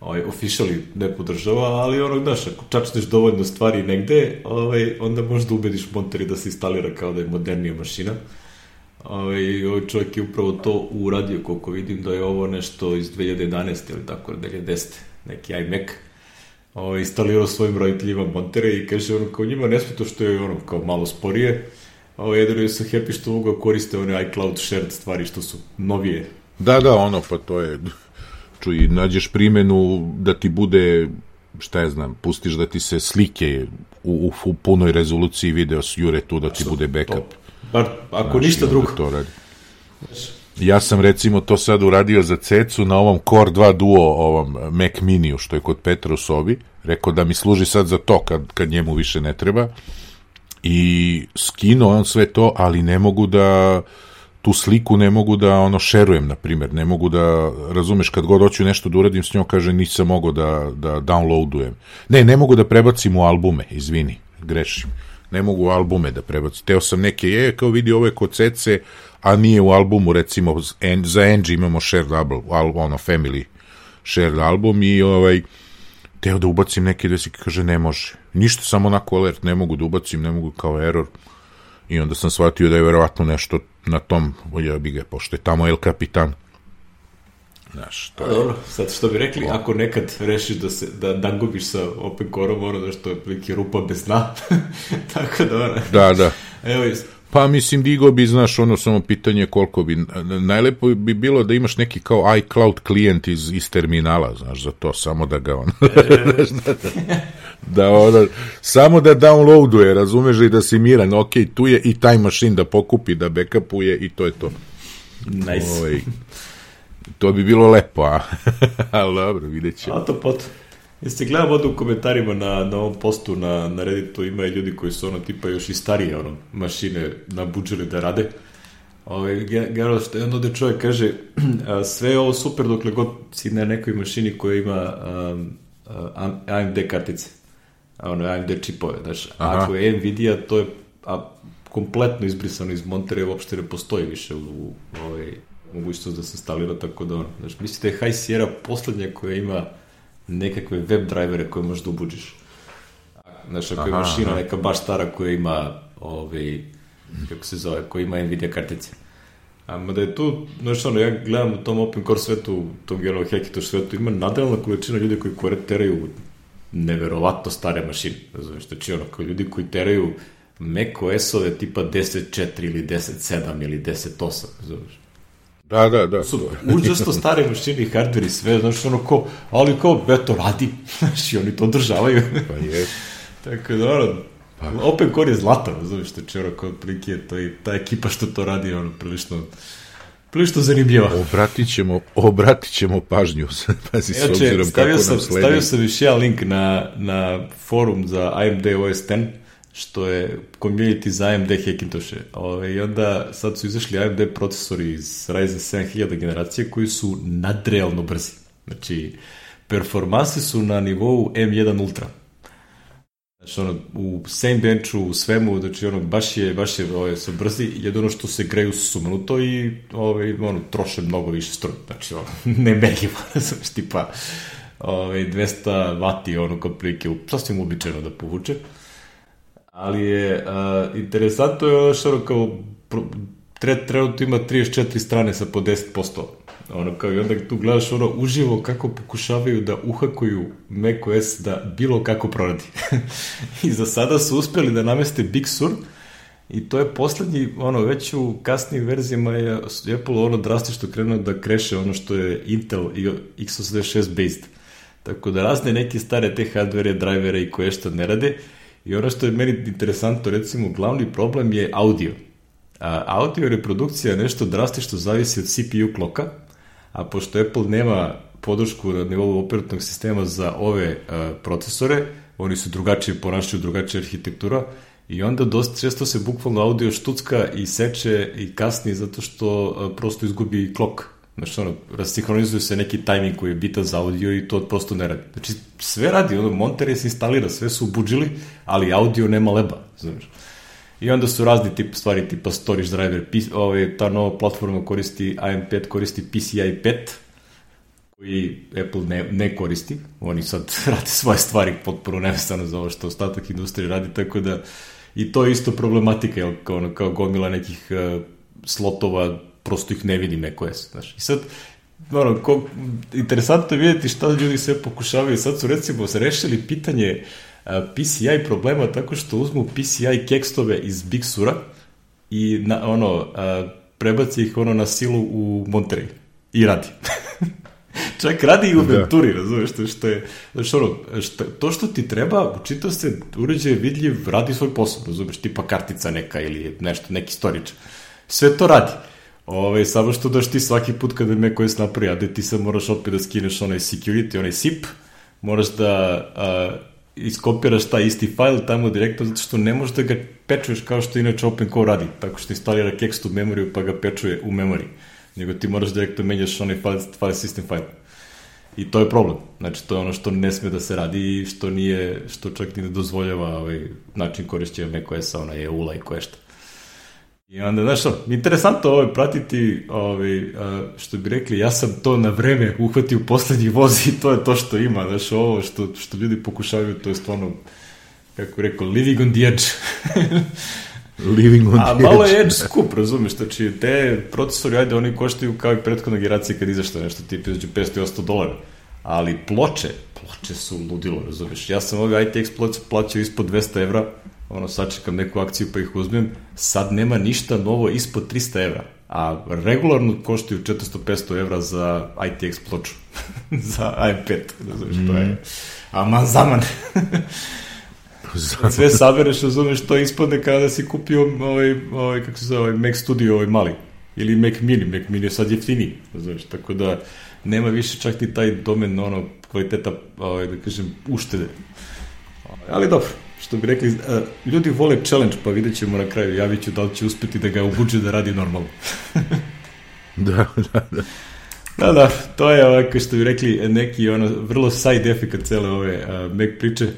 S1: ove, officially ne podržava, ali ono, znaš, ako čačneš dovoljno stvari negde, ove, onda možda ubediš Monterey da se instalira kao da je modernija mašina. Ovaj, ovaj čovjek je upravo to uradio, koliko vidim da je ovo nešto iz dve hiljade jedanaeste ili tako, dve hiljade desete, neki iMac, ovaj, instalirao svojim roditeljima Monterey i kaže ono kao njima ne sme to što je ono kao malo sporije, ovaj, jedino su happy što mogu koriste one iCloud shared stvari što su novije.
S2: Da, da, ono, pa to je, čuj, nađeš primjenu da ti bude šta je znam, pustiš da ti se slike u, u, u punoj rezoluciji video jure tu da ti bude backup.
S1: Bar, ako znači, ništa drugo.
S2: To radi. Ja sam recimo to sad uradio za cecu na ovom Core dva Duo, ovom Mac Miniju, što je kod Petra u sobi, rekao da mi služi sad za to kad, kad njemu više ne treba, i skinuo on sve to, ali ne mogu da tu sliku ne mogu da ono šerujem, na primjer, ne mogu da, razumeš, kad god hoću nešto da uradim s njom, kaže nisam mogao da, da downloadujem. Ne, ne mogu da prebacim u albume, izvini, grešim. Ne mogu u albume da prebacim. Teo sam neke, je, kao vidi, ovo je kod Cece, a nije u albumu, recimo, za Angie imamo shared album, ono, family shared album, i ovaj, teo da ubacim neke desi, kaže ne može. Ništa, samo onako alert, ne mogu da ubacim, ne mogu, kao error. I onda sam shvatio da je verovatno nešto na tom, ja bi ga, pošto je tamo El Capitan. Znaš, to je...
S1: Dobro, sad što bi rekli, o... ako nekad rešiš da se, da dangobiš sa Open Core-om, ono da što je prilike rupa bez dna, tako da ono...
S2: Da, da.
S1: Evo je...
S2: Pa mislim, digo bi, znaš, ono samo pitanje koliko bi, najlepo bi bilo da imaš neki kao iCloud klijent iz, iz terminala, znaš, za to, samo da ga ono, da, da, da ono, samo da downloaduje, razumeš, i da si miran, ok, tu je i taj mašin da pokupi, da backupuje i to je to.
S1: Nice.
S2: Oj, to bi bilo lepo, a? Ali dobro, vidjet ćemo.
S1: A to pot. Jeste gledam ovdje u komentarima na, na ovom postu na, na Redditu, ima i ljudi koji su ono tipa još i starije ono, mašine nabuđili da rade. Ove, generalno što jedno da čovjek kaže, sve je ovo super dokle god si na nekoj mašini koja ima um, A M D kartice, ono, A M D čipove. Znači, ako je Nvidia, to je a, kompletno izbrisano iz Monterey, uopšte ne postoji više u, u ovaj, mogućnost da se instalira, tako da ono. Znači, mislite je High Sierra poslednja koja ima nekakve web drivere koje možeš da ubuđiš. Znaš, ako je mašina neka baš stara koja ima ovaj, kako se zove, koja ima Nvidia kartice. A da je tu, znaš ono, ja gledam u tom open core svetu, u tom general Hackintosh svetu, ima nadrealna količina ljudi koji koje teraju neverovatno stare mašine. Znaš, znači ono, kao ljudi koji teraju macOS-ove tipa deset četiri ili deset sedam ili deset osam, znaš.
S2: Da, da, da.
S1: Su užasno stare mašine i hardware i sve, znaš, ono ko, ali kao, beto, radi, znaš, i oni to održavaju.
S2: Pa je.
S1: Tako da, ono, pa. Open Core je zlatan, znaš, što će, ono, kao prilike, to i ta ekipa što to radi, ono, prilično, prilično zanimljiva.
S2: Obratit ćemo, obratit ćemo pažnju, pazi, s obzirom kako nam sledi.
S1: Stavio sam još jedan link na, na forum za A M D O S deset, što je community za A M D Hackintoshe. I onda sad su izašli A M D procesori iz Ryzen sedam hiljada generacije koji su nadrealno brzi. Znači, performanse su na nivou M jedan Ultra. Znači, ono, u Cinebenchu, u svemu, znači, ono, baš je, baš je, ovaj, su brzi, jedino što se greju sumanuto i, ovaj, ono, troše mnogo više struje. Znači, ono, nemerljivo, znači, tipa, ovaj, dvesta vati, ono, kod prilike, sasvim uobičajeno da povuče. Ali je, uh, interesantno je ono što ono kao, tre, trenutno ima trideset četiri strane sa po deset posto. Ono kao, i onda tu gledaš ono uživo kako pokušavaju da uhakuju macOS da bilo kako proradi. I za sada su uspjeli da nameste Big Sur i to je poslednji, ono, već u kasnijim verzijama je Apple ono drastično krenuo da kreše ono što je Intel i x osamdeset šest based. Tako da razne neke stare te hardware, drivere i koje što ne rade. I ono što je meni interesantno, recimo, glavni problem je audio. A, audio reprodukcija nešto drastično zavisi od C P U kloka, a pošto Apple nema podršku na nivou operativnog sistema za ove a, procesore, oni su drugačije ponašaju, drugačija arhitektura, i onda dosta često se bukvalno audio štucka i seče i kasni zato što a, prosto izgubi klok. Znači, ono, rasinhronizuju se neki tajming koji je bitan za audio i to prosto ne radi. Znači, sve radi, ono, Monterey se instalira, sve su ubuđili, ali audio nema leba, znači. I onda su razni tip stvari, tipa storage driver, ove, ta nova platforma koristi, A M pet koristi P C I pet, koji Apple ne, ne koristi, oni sad rade svoje stvari potpuno nevezano za ovo što ostatak industrije radi, tako da i to je isto problematika, jel, kao, ono, kao gomila nekih uh, slotova, prosto ih ne vidi macOS, znaš. I sad, ono, ko, interesantno je vidjeti šta ljudi sve pokušavaju. Sad su, recimo, rešili pitanje a, P C I problema tako što uzmu P C I kekstove iz Big Sura i, na, ono, a, prebaci ih, ono, na silu u Monterey. I radi. čak radi i u Venturi, razumeš, što je, znači ono, što, to što ti treba, učito se uređaj vidljiv, radi svoj posao, razumeš, tipa kartica neka ili nešto, neki storage, sve to radi. Ove, samo što daš ti svaki put kada me koji se napravi, a da ti sad moraš opet da skineš onaj security, onaj S I P, moraš da a, iskopiraš taj isti file tamo direktno, zato što ne možeš da ga pečuješ kao što inače OpenCore radi, tako što instalira Kext u memoriju pa ga pečuje u memoriji, nego ti moraš direktno menjaš onaj file, file system file. I to je problem. Znači, to je ono što ne sme da se radi i što nije, što čak ni ne dozvoljava ovaj način korišćenja macOS-a, ona E U-la i koje šta. I onda, znaš što, interesantno ovo pratiti, ovaj, što bi rekli, ja sam to na vreme uhvatio u poslednji voz i to je to što ima, znaš, ovo što, što ljudi pokušavaju, to je stvarno, kako rekao, living on the edge.
S2: Living on the edge.
S1: A malo je edge skup, razumiješ, znači, te procesori, ajde, oni koštaju kao i prethodna generacija kad izašta nešto, tipa između petsto i osamsto dolara, ali ploče, ploče su ludilo, razumiješ, ja sam ovaj I T X ploče plaćao ispod dvesta evra, ono, sačekam neku akciju pa ih uzmem, sad nema ništa novo ispod trista evra, a regularno koštaju četiristo do petsto evra za I T X ploču, za A M pet, razumiješ, mm. to je aman zaman. Sve sabereš, razumiješ, to ispadne kada si kupio ovaj, ovaj, kako se zove, ovaj Mac Studio, ovaj mali, ili Mac Mini, Mac Mini je sad jeftiniji, razumiješ, tako da nema više čak ni taj domen, ono, kvaliteta, ovaj, da kažem, uštede. Ali dobro. Što bi rekli, ljudi vole challenge, pa vidjet ćemo na kraju, javit ću da li će uspeti da ga ubuđe da radi normalno.
S2: da, da, da.
S1: Da, da, to je ovako što bi rekli neki ono, vrlo side effect cele ove uh, Mac priče.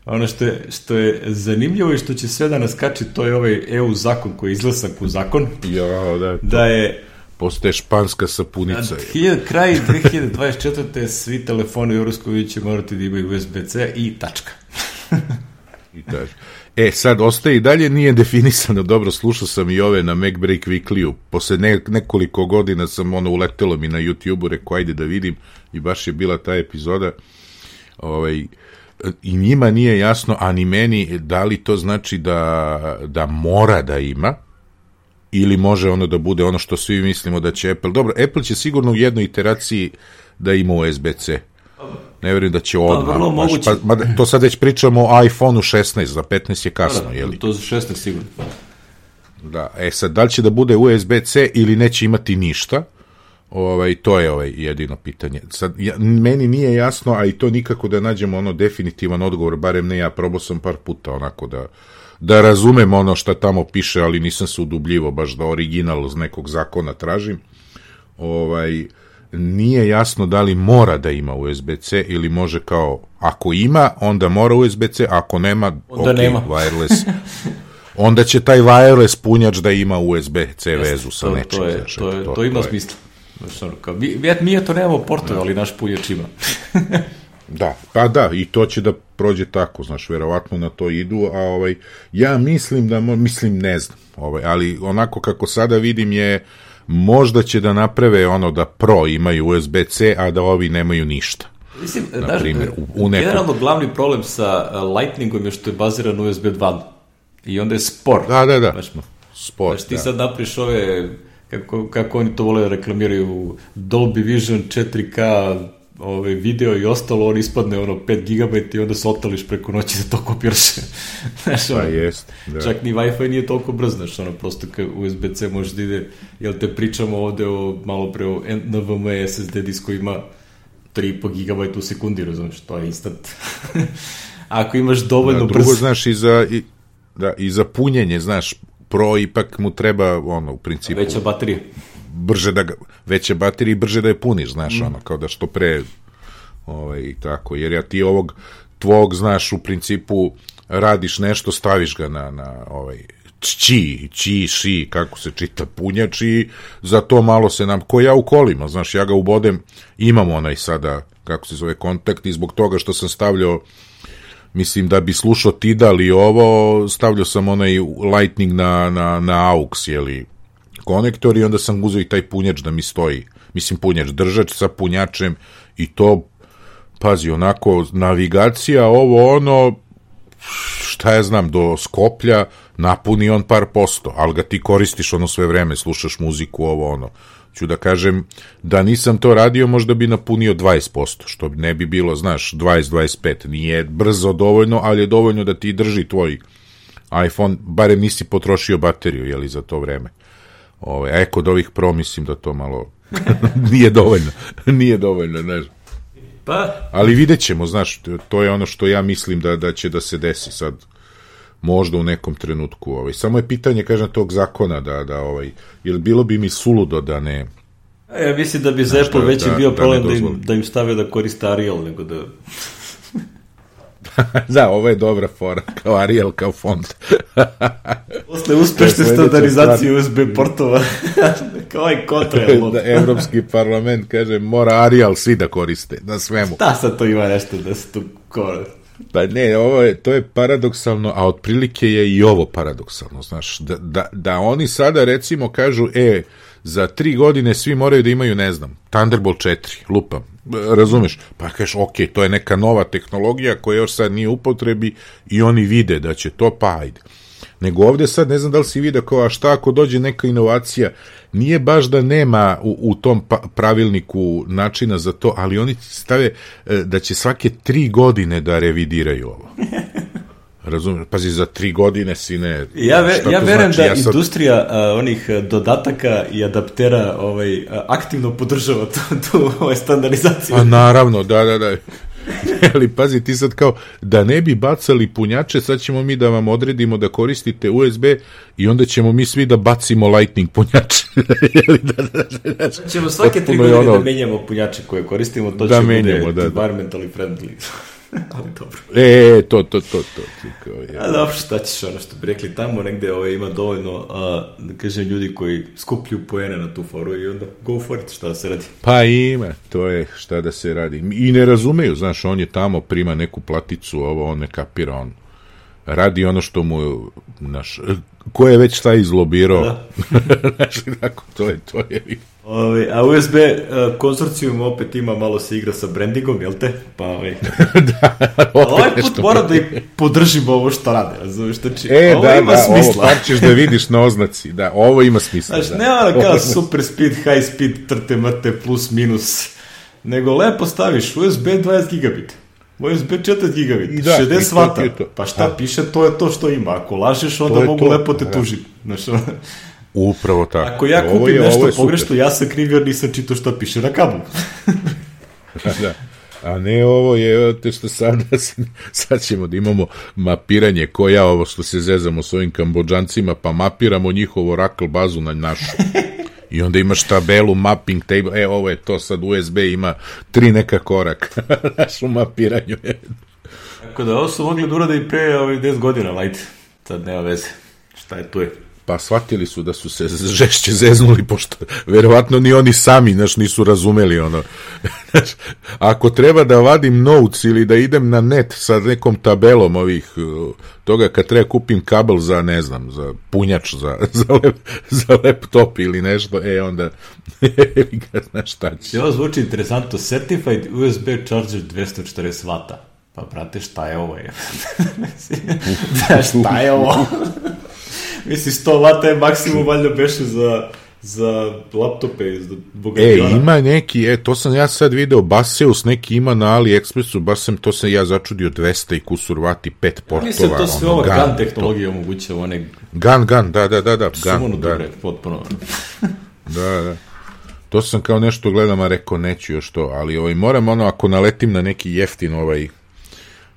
S1: Ono što je, što je zanimljivo i što će sve da nas kači, to je ovaj E U zakon koji je izglasan u zakon.
S2: Ja, da,
S1: da je
S2: postaje španska sapunica.
S1: Kraj dve hiljade dvadeset četvrte svi telefoni u Evropskoj će morati da imaju U S B C i tačka.
S2: I tačka. E, sad, ostaje i dalje nije definisano, dobro, slušao sam i ove na MacBreak Weekly-u, posle ne, nekoliko godina sam ono uletelo mi na YouTube-u, rekao, ajde da vidim, i baš je bila ta epizoda, ovaj, i njima nije jasno, a ni meni, da li to znači da, da mora da ima, ili može ono da bude ono što svi mislimo da će Apple, dobro, Apple će sigurno u jednoj iteraciji da ima U S B C, ne verujem da će odmah,
S1: pa,
S2: baš, pa, ma, to sad već pričamo o iPhone-u šesnaest, za petnaest je kasno,
S1: da, da,
S2: jeli?
S1: to za šesnaest sigurno.
S2: Da, e sad, da li će da bude U S B C ili neće imati ništa, ovaj, to je ovaj jedino pitanje. Sad, ja, meni nije jasno, a i to nikako da nađemo ono definitivan odgovor, barem ne ja, probao sam par puta onako da, da razumem ono šta tamo piše, ali nisam se udubljivo baš da original iz nekog zakona tražim. Ovaj, nije jasno da li mora da ima U S B C ili može kao, ako ima, onda mora U S B C, ako nema,
S1: onda
S2: ok,
S1: nema.
S2: wireless. Onda će taj wireless punjač da ima U S B C vezu sa
S1: to,
S2: nečim.
S1: To, je,
S2: znači,
S1: to, je,
S2: to,
S1: to ima
S2: to
S1: smisla. Znači, kao, mi, mi to nemamo portove, ali naš punjač ima.
S2: Da, pa da, i to će da prođe tako, znaš, verovatno na to idu, a ovaj, ja mislim da, mislim, ne znam, ovaj, ali onako kako sada vidim je, možda će da naprave ono da Pro imaju U S B C, a da ovi nemaju ništa.
S1: Mislim,
S2: na
S1: znaš,
S2: primjer, u, u nekom...
S1: generalno glavni problem sa Lightningom je što je baziran na U S B dva i onda je spor.
S2: Da, da, da,
S1: znaš,
S2: spor.
S1: Znaš, ti
S2: da.
S1: sad napriš ove, kako, kako oni to vole da reklamiraju, Dolby Vision četiri K, ove, video i ostalo, on ispadne ono pet gigabajta i onda se otališ preko noći da to kopiraš. Znaš, ono,
S2: pa jest, da.
S1: Čak ni Wi-Fi nije toliko brz, znaš, ono, prosto kao U S B C može da ide, jel te pričamo ovde o, malo pre o N V M e S S D disku ima tri i po gigabajta u sekundi, razumiješ, to je instant. Ako imaš dovoljno
S2: da,
S1: brz...
S2: Drugo, znaš, i za, i, da, i za punjenje, znaš, Pro ipak mu treba, ono, u principu...
S1: Veća baterija.
S2: Brže da ga, veće baterije i brže da je puniš, znaš, mm. ono, kao da što pre, ovaj, i tako, jer ja ti ovog tvog, znaš, u principu radiš nešto, staviš ga na, na ovaj, či, či, ši, kako se čita, punjač i za to malo se nam, ko ja u kolima, znaš, ja ga ubodem, imam onaj sada, kako se zove, kontakt i zbog toga što sam stavljao, mislim da bi slušao Tidal i ovo, stavljao sam onaj Lightning na, na, na aux, jeli, konektor i onda sam uzeo i taj punjač da mi stoji, mislim punjač, držač sa punjačem i to, pazi, onako, navigacija, ovo ono, šta ja znam, do Skoplja, napuni on par posto, ali ga ti koristiš ono sve vreme, slušaš muziku, ovo ono. Ću da kažem, da nisam to radio, možda bi napunio dvadeset posto, što ne bi bilo, znaš, dvadeset do dvadeset pet. Nije brzo dovoljno, ali je dovoljno da ti drži tvoj iPhone, barem nisi potrošio bateriju, jeli, za to vreme. Ove, a kod ovih Pro mislim da to malo nije dovoljno, nije dovoljno, znaš.
S1: Pa.
S2: Ali vidjet ćemo, znaš, to je ono što ja mislim da, da će da se desi sad, možda u nekom trenutku. Ovaj. Samo je pitanje, kažem, tog zakona, da, da ovaj, jer bilo bi mi suludo da ne...
S1: A ja mislim da bi za Apple već da, bio da problem da im, da im stavio da koriste Arial, nego da...
S2: Da, ovo je dobra fora, kao Arial, kao font.
S1: Posle uspešne standardizacije U S B portova, kao i kontra.
S2: Da, Evropski parlament kaže, mora Arial svi da koriste, na svemu.
S1: Da, sad to ima nešto da se tu koriste.
S2: Pa ne, ovo je, to je paradoksalno, a otprilike je i ovo paradoksalno, znaš, da, da, da oni sada recimo kažu, e, za tri godine svi moraju da imaju, ne znam, Thunderbolt četiri, lupam, razumeš, pa kažeš, ok, to je neka nova tehnologija koja još sad nije u upotrebi i oni vide da će to, pa ajde. Nego ovde sad, ne znam da li si vidio kao, a šta ako dođe neka inovacija, nije baš da nema u, u tom pa, pravilniku načina za to, ali oni stave da će svake tri godine da revidiraju ovo. Razumiješ? Pazi, za tri godine si ne...
S1: Ja, ve, ja verujem znači? da ja sad... industrija a, onih dodataka i adaptera ovaj, a, aktivno podržava tu, tu ovaj, standardizaciju.
S2: A naravno, da, da, da. Ali pazi, ti sad kao, da ne bi bacali punjače, sad ćemo mi da vam odredimo da koristite U S B i onda ćemo mi svi da bacimo Lightning punjače. da, da, da, da,
S1: ćemo svake tri godine ono... da menjamo punjače koje koristimo, to da će menjamo, bude da, environmentally da. friendly. Ali dobro.
S2: E, to, to, to, to. Kao, ja.
S1: A dobro, šta ćeš, ono što bi rekli, tamo negde ovaj, ima dovoljno, a, da kažem, ljudi koji skupljuju poene na tu foru i onda go for it, šta da se radi.
S2: Pa ima, to je šta da se radi. I ne razumeju, znaš, on je tamo, prima neku platicu, ovo, on ne kapira, on radi ono što mu, znaš, ko je već šta izlobirao. Da. Znaš, tako, to je, to je.
S1: Ove, a U S B uh, konzorcijum opet ima, malo se igra sa brandingom, jel te? Pa ovaj...
S2: da,
S1: ovaj put mora da i podržimo ovo što rade, razumiješ? Znači,
S2: e,
S1: ovo
S2: da,
S1: ima
S2: da,
S1: smisla.
S2: Ovo ćeš da vidiš na oznaci, da, ovo ima smisla.
S1: Znači,
S2: da.
S1: ne ono kao super speed, high speed, trte, mrte, plus, minus, nego lepo staviš U S B dvadeset gigabita. U S B četiri gigabita, da, šezdeset vata, pa šta da. piše, to je to što ima. Ako lažeš, onda mogu to. lepo te da. tužiti. Znači,
S2: upravo tako.
S1: Ako ja kupim je, nešto pogrešno, ja sam kriv jer nisam čitao šta piše na kablu.
S2: Da. A ne ovo je, te što sad, sad ćemo da imamo mapiranje, ko ja ovo što se zezamo s ovim Kambodžancima, pa mapiramo njihovu Oracle bazu na našu. I onda imaš tabelu, mapping table, e, ovo je to, sad U S B ima tri neka koraka, naš u mapiranju.
S1: Tako da, ovo su mogli da urade i pre ovih deset godina, lajte, sad nema veze, šta je tu je.
S2: Pa shvatili su da su se žešće zeznuli, pošto verovatno ni oni sami, znaš, nisu razumeli ono. Znaš, ako treba da vadim notes ili da idem na net sa nekom tabelom ovih, toga kad treba kupim kabel za, ne znam, za punjač, za, za, lep, za laptop ili nešto, e onda, znaš šta će.
S1: Ovo zvuči interesantno, Certified U S B Charger dvesta četrdeset vata. Pa, brate, šta je ovo? Da, šta je ovo? Mislim, sto vata je maksimum valjda beše za, za laptope, za bogatijona.
S2: E, ima neki, e, to sam ja sad video, Baseus neki ima na AliExpressu, baš sam, to sam ja začudio dvesta i kusur vati, pet portova.
S1: Mislim, to sve ono, ova GAN tehnologija omogućava, one...
S2: GAN, GAN, da, da, da, da,
S1: GAN, da. Dobre, potpuno.
S2: Da, da. To sam kao nešto gledam, a rekao, neću još to, ali ovaj, moram ono, ako naletim na neki jeftin ovaj,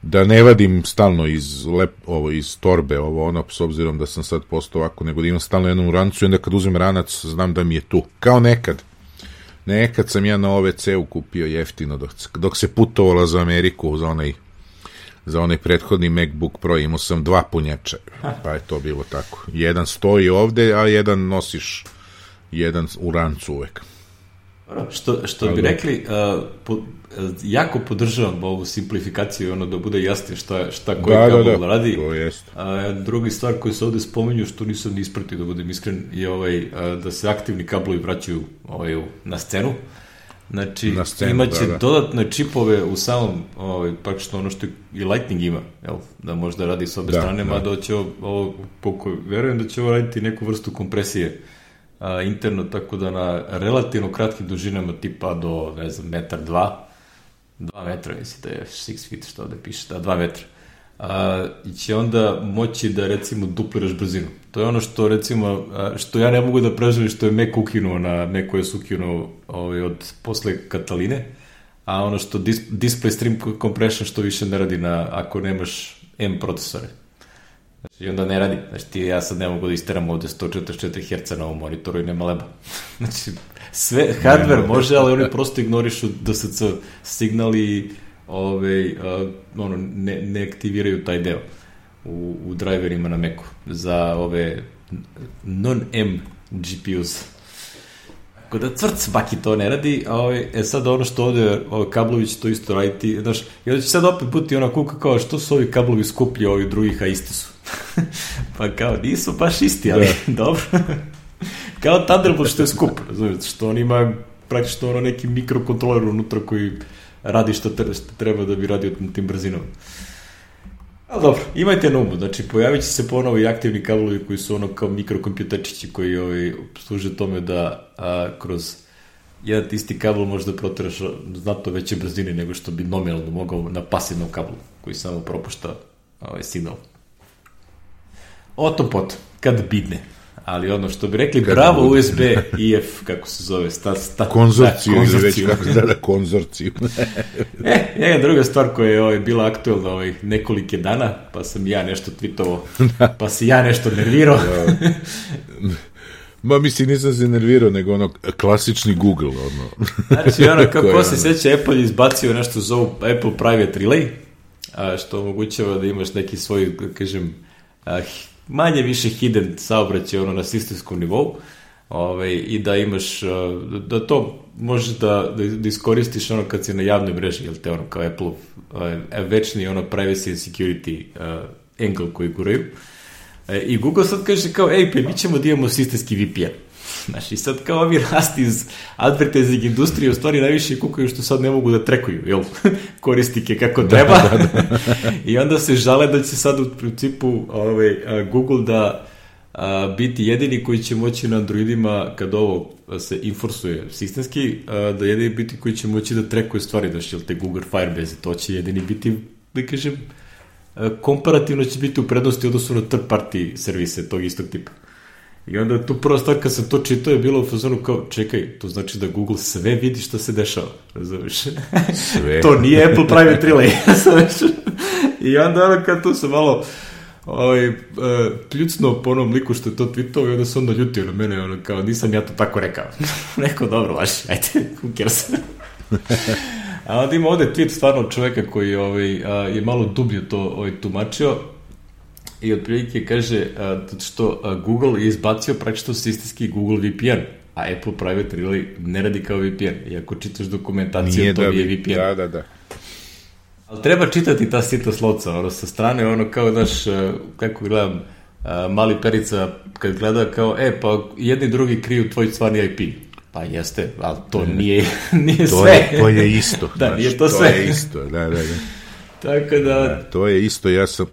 S2: da ne vadim stalno iz, lep, ovo, iz torbe, ovo ono, s obzirom da sam sad postao ovako, nego da imam stalno jednu rancu i onda kad uzem ranac, znam da mi je tu. Kao nekad. Nekad sam ja na O V C-u kupio jeftino, dok, dok se putovala za Ameriku, za onaj, za onaj prethodni MacBook Pro, imao sam dva punjača, pa je to bilo tako. Jedan stoji ovde, a jedan nosiš, jedan u rancu uvek.
S1: Što, što bi rekli, uh, po, jako podržavam ovu simplifikaciju i ono da bude jasnije šta, šta koji
S2: da,
S1: kabel
S2: da, da.
S1: radi.
S2: To jest.
S1: A, drugi stvar koju se ovde spominju, što nisam ni ispratio da budem iskren, je ovaj, a, da se aktivni kablovi vraćaju ovaj, na scenu. Znači, imaće da, da. dodatne čipove u samom, ovaj, praktično ono što i Lightning ima, jel, da možda radi s obe da, strane, da. Mada će ovo, poko, verujem da će ovo raditi neku vrstu kompresije a, interno, tako da na relativno kratkim dužinama tipa do, ne znam, metar dva, dva metra, mislim da je six feet, što ovde piše, da, dva metra. A, i će onda moći da, recimo, dupliraš brzinu. To je ono što, recimo, a, što ja ne mogu da preželim, što je Mac ukinuo na Mac koji je ukinuo ovaj, od posle Kataline, a ono što dis, display stream compression što više ne radi na, ako nemaš M procesore. Znači, i onda ne radi. Znači, ti, ja sad ne mogu da isteram ovde sto četrdeset četiri herca na ovom monitoru i nema leba. Znači, sve, hardware može, ali oni prosto ignorišu D S C signal i ove, uh, ono, ne, ne aktiviraju taj deo u, u driverima na Macu za ove non-M G P Us. Tako da cvrc baki to ne radi, a ove, e sad ono što ovde ove, kablović to isto raditi, znaš, i onda će sad opet biti ona kuka kao što su ovi kablovi skuplji ovi drugih, a isti su. Pa kao, nisu baš isti, ali dobro. Kao Thunderbolt što je skup, razumijete, što on ima praktično ono neki mikrokontroler unutra koji radi što treba da bi radio na tim brzinama. Ali dobro, imajte na umu, znači pojavit će se ponovo i aktivni kablovi koji su ono kao mikrokompjuterčići koji ovaj, služe tome da a, kroz jedan isti kabel možda proteraš znatno veće brzine nego što bi nominalno mogao na pasivnom kablu koji samo propušta ovaj, signal. O tom potom, kad bidne. Ali ono što bi rekli, kad bravo bude. U S B I F, kako se zove, sta, sta,
S2: konzorciju, da, konzorciju. Već kako se da konzorciju.
S1: e, jedna druga stvar koja je ovaj, bila aktuelna ovaj, nekolike dana, pa sam ja nešto tweetovao, pa si ja nešto nervirao.
S2: Ma mislim, nisam se nervirao, nego ono, klasični Google, ono.
S1: Znači, ono, kako se seća, Apple izbacio nešto zovu Apple Private Relay, a, što omogućava da imaš neki svoj, kažem, a, manje više hidden saobraćaj ono na sistemskom nivou, ovaj, i da imaš, da to možeš da, da, da iskoristiš ono kad si na javnoj mreži, jel te ono kao Apple uh, večni ono privacy and security uh, angle koji guraju. E, I Google sad kaže kao, ej, pa mi ćemo da imamo sistemski V P N. Znaš, i sad kao ovi rasti iz advertising industrije u stvari najviše kukaju što sad ne mogu da trekuju, jel, koristike kako treba. Da, da, da. I onda se žale da će sad u principu ovaj, Google da a, biti jedini koji će moći na Androidima, kad ovo se enforcuje sistemski, a, da jedini biti koji će moći da trekuje stvari, da će, jel, te Google Firebase, to će jedini biti, da kažem, a, komparativno će biti u prednosti odnosu na third party servise tog istog tipa. I onda tu prva stvar kad sam to čitao je bilo u fazonu kao, čekaj, to znači da Google sve vidi šta se dešava, razumiješ? Sve. To nije Apple Private Relay, razumiješ? I onda ono kad tu sam malo ovaj, uh, pljucno po onom liku što je to tweetao i onda sam onda ljutio na mene, ono kao, nisam ja to tako rekao. Rekao, dobro, vaši, ajde, who cares? A onda ima ovde tweet stvarno čoveka koji ovaj, uh, je malo dublje to ovaj, tumačio. I otprilike kaže uh, što uh, Google je izbacio praktično sistemski Google V P N, a Apple Private Relay ne radi kao V P N. I ako čitaš dokumentaciju, nije to da, je V P N.
S2: Da, da, da.
S1: Ali treba čitati ta sita slovca, ono, sa strane, ono, kao, znaš, uh, kako gledam, uh, mali Perica, kad gleda kao, e, pa jedni drugi kriju tvoj stvarni I P. Pa jeste, ali to nije, nije
S2: to
S1: sve.
S2: Je, to je isto.
S1: Da,
S2: znaš,
S1: nije to,
S2: to
S1: sve.
S2: To je isto, da, da, da.
S1: Tako da...
S2: da... To je isto, ja sam...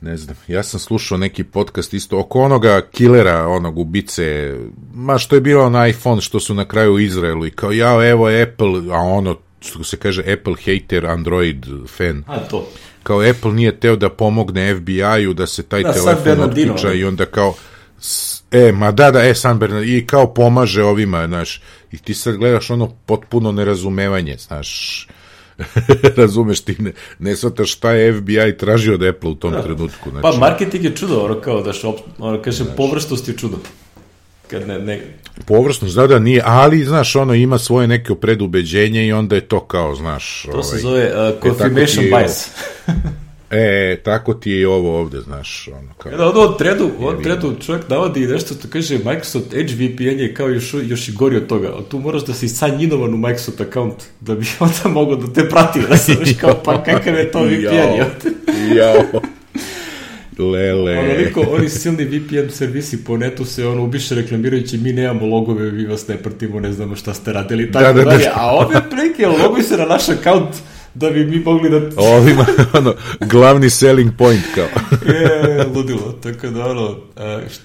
S2: Ne znam, ja sam slušao neki podcast isto oko onoga killera, onog ubice, ma što je bilo na iPhone, što su na kraju u Izraelu i kao, ja, evo Apple, a ono, što se kaže Apple hater, Android fan.
S1: A, to.
S2: Kao Apple nije teo da pomogne F B I-u da se taj da, telefon otključa i onda kao, e, ma da, da, e, San Bernardino, i kao pomaže ovima, znaš, i ti sad gledaš ono potpuno nerazumevanje, znaš, razumeš, ti ne, ne shvataš šta je F B I tražio od Apple u tom da. trenutku. Znači,
S1: pa marketing je čudo, ono kao da šop, ono kaže, znači, površnost je čudo. Kad ne, ne...
S2: Površnost, da, da, nije, ali, znaš, ono ima svoje neke predubeđenje i onda je to kao, znaš...
S1: To ovaj, se zove uh, confirmation e, bias.
S2: E, tako ti je i ovo ovde, znaš, ono kao...
S1: Da, od tredu, od tredu čovjek navodi nešto što kaže Microsoft Edge V P N je kao još, još i gori od toga. Tu moraš da si sanjinovan u Microsoft account da bi onda mogao da te prati, da se viš kao, pa kakav je to V P N?
S2: Jao, jao. Lele.
S1: Onoliko, oni silni V P N servisi po netu se ono ubiše reklamirajući mi nemamo logove, vi vas ne pratimo, ne znamo šta ste radili, tako da, da, dalje. Da. A ove preke, loguj se na naš akaunt da bi mi mogli da...
S2: Ovima, ono, glavni selling point kao.
S1: Je, ludilo, tako da ono, a, št,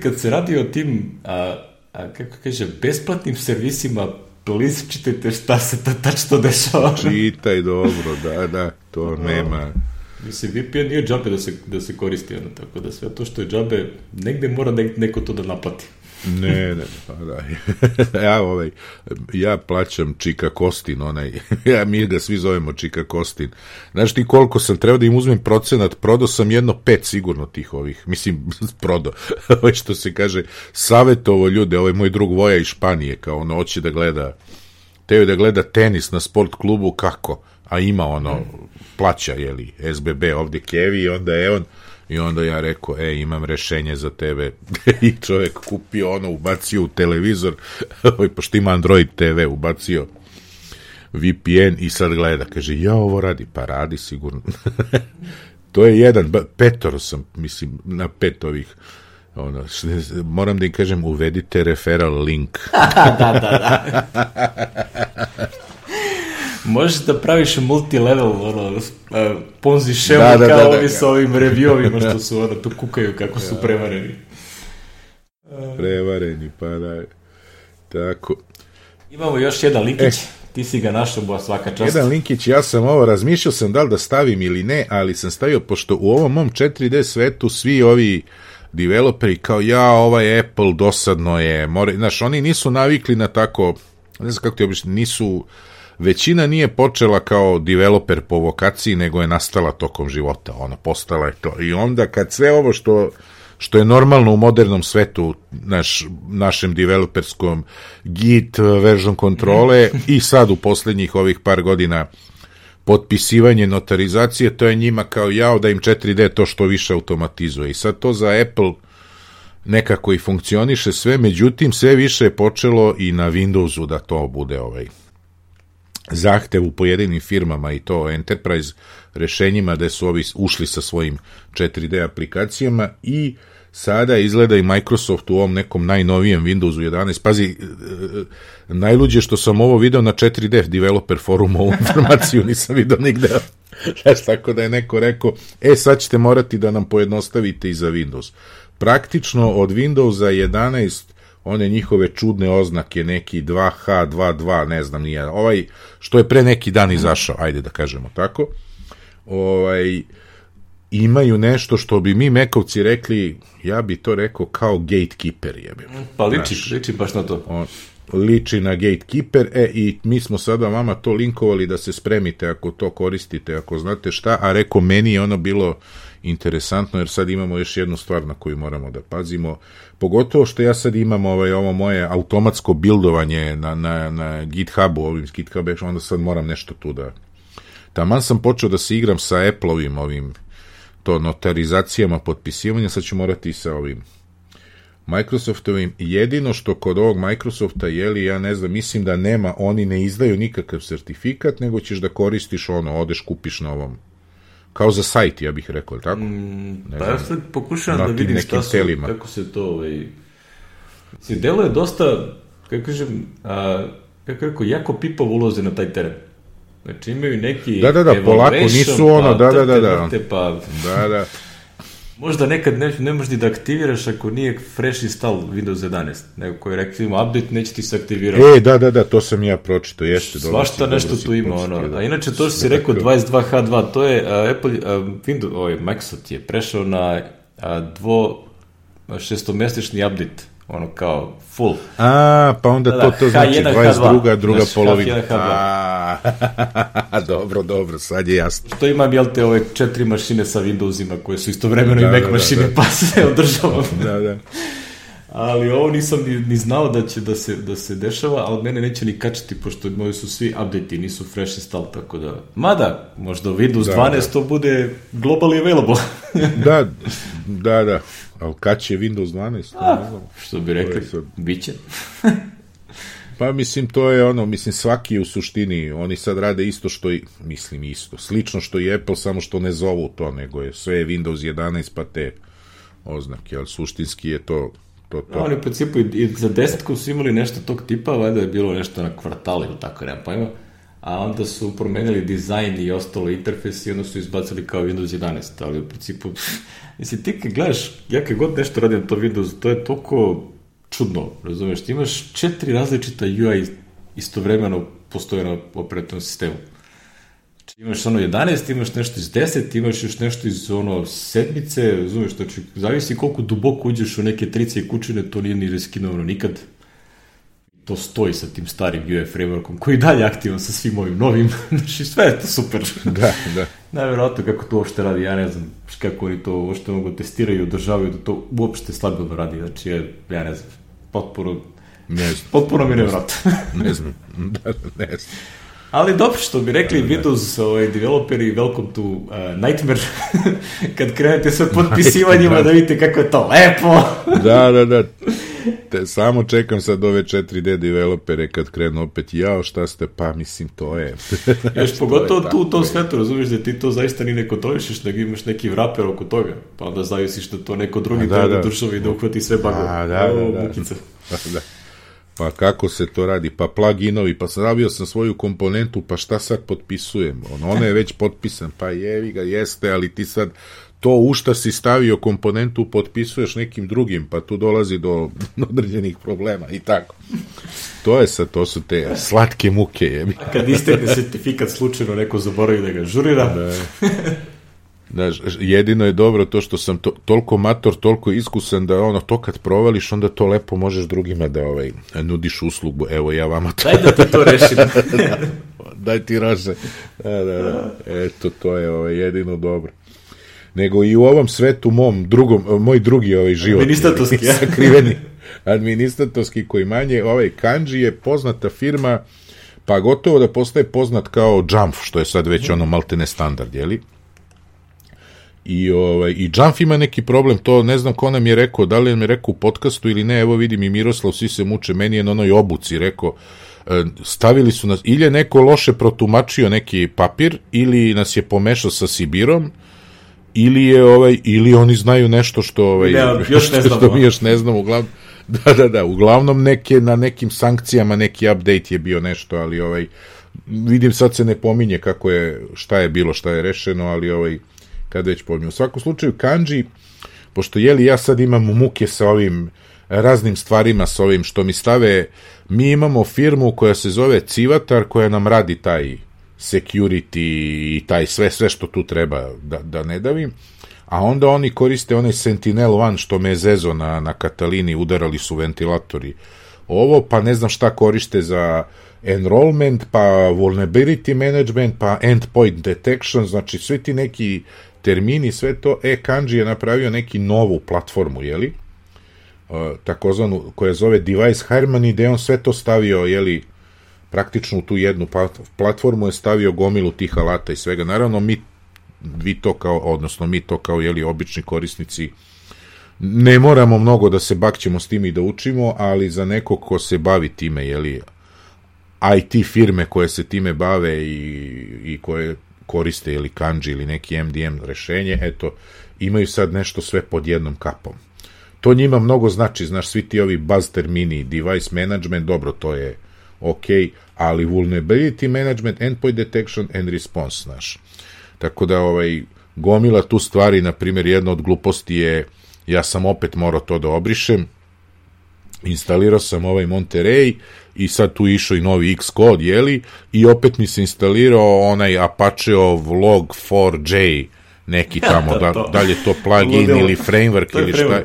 S1: kad se radi o tim, a, a, kako kaže, besplatnim servisima, please čitajte šta se ta tačno dešava.
S2: Čitaj dobro, da, da, to nema...
S1: Mislim, V P N nije džabe da se, da se koristi, ono, tako da sve to što je džabe, negde mora ne, neko to da naplati.
S2: Ne, ne, pa da. Ja, ovaj, ja plaćam Čika Kostin, onaj, ja, mi ga svi zovemo Čika Kostin. Znaš ti koliko sam trebao da im uzmem procenat, prodao sam jedno pet sigurno tih ovih, mislim, prodao, ovaj što se kaže, savjetovo ljude, ovaj moj drug Voja iz Španije, kao ono, hoće da gleda, teo da gleda tenis na sport klubu, kako? A ima ono, plaća, jeli, S B B ovdje Kevi i onda je on, i onda ja rekao, e, imam rešenje za tebe. I čovjek kupio ono, ubacio u televizor, pošto ima Android T V, ubacio V P N i sad gleda, kaže, ja ovo radi, pa radi sigurno. To je jedan, petoro sam, mislim, na pet ovih, ono, moram da im kažem, uvedite referral link.
S1: Da, da, da. Možeš da praviš multilevel, ono, ponzi šemu da, da, kao da, da, ovi da. Sa ovim reviewovima što su, ono, tu kukaju kako su prevareni.
S2: Prevareni, pa da. Tako.
S1: Imamo još jedan linkić, eh. ti si ga našao, bo svaka čast.
S2: Jedan linkić, ja sam ovo, razmišljao sam da li da stavim ili ne, ali sam stavio, pošto u ovom mom četiri D svetu svi ovi developeri kao, ja, ovaj Apple dosadno je, more, znaš, oni nisu navikli na tako, ne znam kako ti obično, nisu... Većina nije počela kao developer po vokaciji, nego je nastala tokom života, ona postala je to. I onda kad sve ovo što, što je normalno u modernom svetu, naš, našem developerskom Git, version kontrole i sad u posljednjih ovih par godina potpisivanje notarizacije, to je njima kao jao da im četiri D to što više automatizuje. I sad to za Apple nekako i funkcioniše sve, međutim sve više je počelo i na Windowsu da to bude ovaj zahtev u pojedinim firmama i to enterprise rešenjima da su ovi ušli sa svojim četiri D aplikacijama i sada izgleda i Microsoft u ovom nekom najnovijem Windowsu jedanaest. Pazi, najluđe što sam ovo video na četiri D developer forumu, ovu informaciju nisam video nigde. Znaš, tako da je neko rekao, e sad ćete morati da nam pojednostavite i za Windows. Praktično od Windowsa jedanaest one njihove čudne oznake, neki dva H, dva dva, ne znam nije, ovaj, što je pre neki dan izašao, ajde da kažemo tako, ovaj, imaju nešto što bi mi Mekovci rekli, ja bi to rekao kao gatekeeper, jebim.
S1: Pa liči, znaš, liči baš na to.
S2: On, liči na gatekeeper, e, i mi smo sada vama to linkovali da se spremite ako to koristite, ako znate šta, a reko, meni je ono bilo interesantno, jer sad imamo još jednu stvar na koju moramo da pazimo, pogotovo što ja sad imam ovaj, ovo moje automatsko bildovanje na, na, na GitHubu, ovim GitHub, onda sad moram nešto tu da... Taman sam počeo da se igram sa Apple-ovim ovim, to notarizacijama, potpisivanja, sad ću morati i sa ovim Microsoftovim. Jedino što kod ovog Microsofta, jeli, ja ne znam, mislim da nema, oni ne izdaju nikakav sertifikat, nego ćeš da koristiš ono, odeš, kupiš na ovom, kao za sajt, ja bih rekao, tako?
S1: Mm, pa znam, ja sad pokušavam da vidim šta su, telima. Kako se to, ovaj... Mislim, delo je dosta, kako kažem, a, kako rekao, jako pipav uloze na taj teren. Znači, imaju neki...
S2: Da, da, da, polako, nisu ono, pa, da, da, da, da.
S1: Vrte, pa...
S2: Da, da.
S1: Možda nekad ne, ne možeš da aktiviraš ako nije fresh install Windows jedanaest, nego koji je rekao ima update, neće ti se aktivirati.
S2: E, da, da, da, to sam ja pročito, jeste.
S1: Svašta nešto tu ima, ono. A inače, to što si rekao dvadeset dva H dva, to je uh, Apple, uh, Windows, ovaj, Microsoft je prešao na uh, dvo šestomesečni update, ono kao full.
S2: A, pa onda da, to, to znači dvadeset druga druga
S1: znači,
S2: polovina. A, dobro, dobro, sad je jasno.
S1: Što imam, jel te, ove četiri mašine sa Windowsima koje su istovremeno da, i Mac da, mašine, da, da. Pa se održavam.
S2: Da, da.
S1: Ali ovo nisam ni, ni znao da će da se, da se dešava, ali mene neće ni kačiti, pošto moji su svi update-i, nisu fresh install, tako da... Mada, možda Windows da, dvanaest da. To bude globally available.
S2: Da, da, da. Ali kad će Windows dvanaest?
S1: A, što bi rekli, sad... bit će.
S2: Pa mislim, to je ono, mislim, svaki u suštini, oni sad rade isto što i, mislim isto, slično što i Apple, samo što ne zovu to, nego je sve Windows jedanaest pa te oznake, ali suštinski je to to, to.
S1: No, oni u principu i za desetku su imali nešto tog tipa, valjda je bilo nešto na kvartalu ili tako, nema pojma, a onda su promenili dizajn i ostalo interfejs i onda su izbacili kao Windows jedanaest, ali u principu, mislim, ti kad gledaš, ja kad god nešto radim na to Windows, to je toliko čudno, razumeš, ti imaš četiri različita U I istovremeno postoje na operativnom sistemu. Znači, imaš ono jedanaest, imaš nešto iz deset, imaš još nešto iz ono sedmice, razumeš, znači, zavisi koliko duboko uđeš u neke trice i kućine, to nije ni reskinovano nikad. To stoji sa tim starim U I frameworkom, koji je dalje aktivan sa svim ovim novim, znači, sve je to super.
S2: Da, da.
S1: Najvjerojatno kako to uopšte radi, ja ne znam kako oni to uopšte mogu testiraju i održavaju da to uopšte stabilno radi, znači, ja, ja ne znam, potpuno,
S2: ne znam.
S1: potpuno mi nevjerojatno.
S2: Ne znam, da, ne znam.
S1: Ali dobro, što bi rekli da, da. Windows ovaj, developeri, welcome to uh, nightmare, kad krenete sa potpisivanjima da. da vidite kako je to lepo.
S2: Da, da, da. Te, samo čekam sad ove četiri D developere kad krenu opet, jao, šta ste, pa mislim, to je...
S1: Još pogotovo tu u tom svetu, razumiješ da ti to zaista ni ne kontrolišeš, nego imaš neki wrapper oko toga, pa onda zavisiš da to neko drugi treba da državi i da uhvati sve bagove.
S2: Da, da, da, da, da. Pa kako se to radi, pa pluginovi, pa stavio sam svoju komponentu, pa šta sad potpisujem, ono, ono je već potpisan, pa jevi ga, jeste, ali ti sad to u šta si stavio komponentu potpisuješ nekim drugim, pa tu dolazi do određenih problema i tako. To je sad, to su te slatke muke, jebi.
S1: A kad istekne sertifikat slučajno neko zaboravi da ga žurira.
S2: Da. Znaš, jedino je dobro to što sam to, toliko mator, toliko iskusan da ono, to kad provališ, onda to lepo možeš drugima da ovaj, nudiš uslugu. Evo, ja vama to...
S1: Daj da ti to rešim.
S2: Daj ti rože. Da, da, da. Eto, to je ovaj, jedino dobro. Nego i u ovom svetu mom, drugom, moj drugi ovaj život.
S1: Administratorski, ja.
S2: Sakriveni. Administratorski koji manje, ovaj Kanji je poznata firma, pa gotovo da postaje poznat kao Jamf, što je sad već ono maltene standard, jeli? I, ovaj, i Jamf ima neki problem, to ne znam ko nam je rekao, da li nam je rekao u podcastu ili ne, evo vidim i Miroslav, svi se muče, meni je na onoj obuci rekao, stavili su nas, ili je neko loše protumačio neki papir, ili nas je pomešao sa Sibirom, ili je ovaj, ili oni znaju nešto što, ovaj,
S1: ne, još ne znamo.
S2: Što mi još ne znamo, uglavnom, da, da, da, uglavnom neke, na nekim sankcijama neki update je bio nešto, ali ovaj, vidim sad se ne pominje kako je, šta je bilo, šta je rešeno, ali ovaj, kad već pominju. U svakom slučaju, Kanji, pošto jeli ja sad imam muke sa ovim raznim stvarima, sa ovim što mi stave, mi imamo firmu koja se zove Civatar, koja nam radi taj security i taj sve, sve što tu treba da, da ne davim, a onda oni koriste onaj Sentinel One što me je zezo na, na Katalini, udarali su ventilatori ovo, pa ne znam šta koriste za enrollment, pa vulnerability management, pa endpoint detection, znači svi ti neki termini, sve to, e, Kanji je napravio neki novu platformu, jeli, uh, takozvanu, koja zove Device Harmony, gde on sve to stavio, jeli, praktično u tu jednu platformu je stavio gomilu tih alata i svega. Naravno, mi, vi to kao, odnosno mi to kao, jeli, obični korisnici, ne moramo mnogo da se bakćemo s tim i da učimo, ali za neko ko se bavi time, jeli, I T firme koje se time bave i, i koje koriste ili Kanji ili neki M D M rešenje, eto, imaju sad nešto sve pod jednom kapom. To njima mnogo znači, znaš, svi ti ovi buzz termini, device management, dobro, to je ok, ali vulnerability management, endpoint detection and response, znaš. Tako da, ovaj, gomila tu stvari, na primjer, jedna od gluposti je, ja sam opet morao to da obrišem, instalirao sam ovaj Monterey i sad tu išao i novi Xcode, jeli, i opet mi se instalirao onaj Apacheov log four j neki tamo, da, da li je to plugin ludilo. Ili framework ili šta,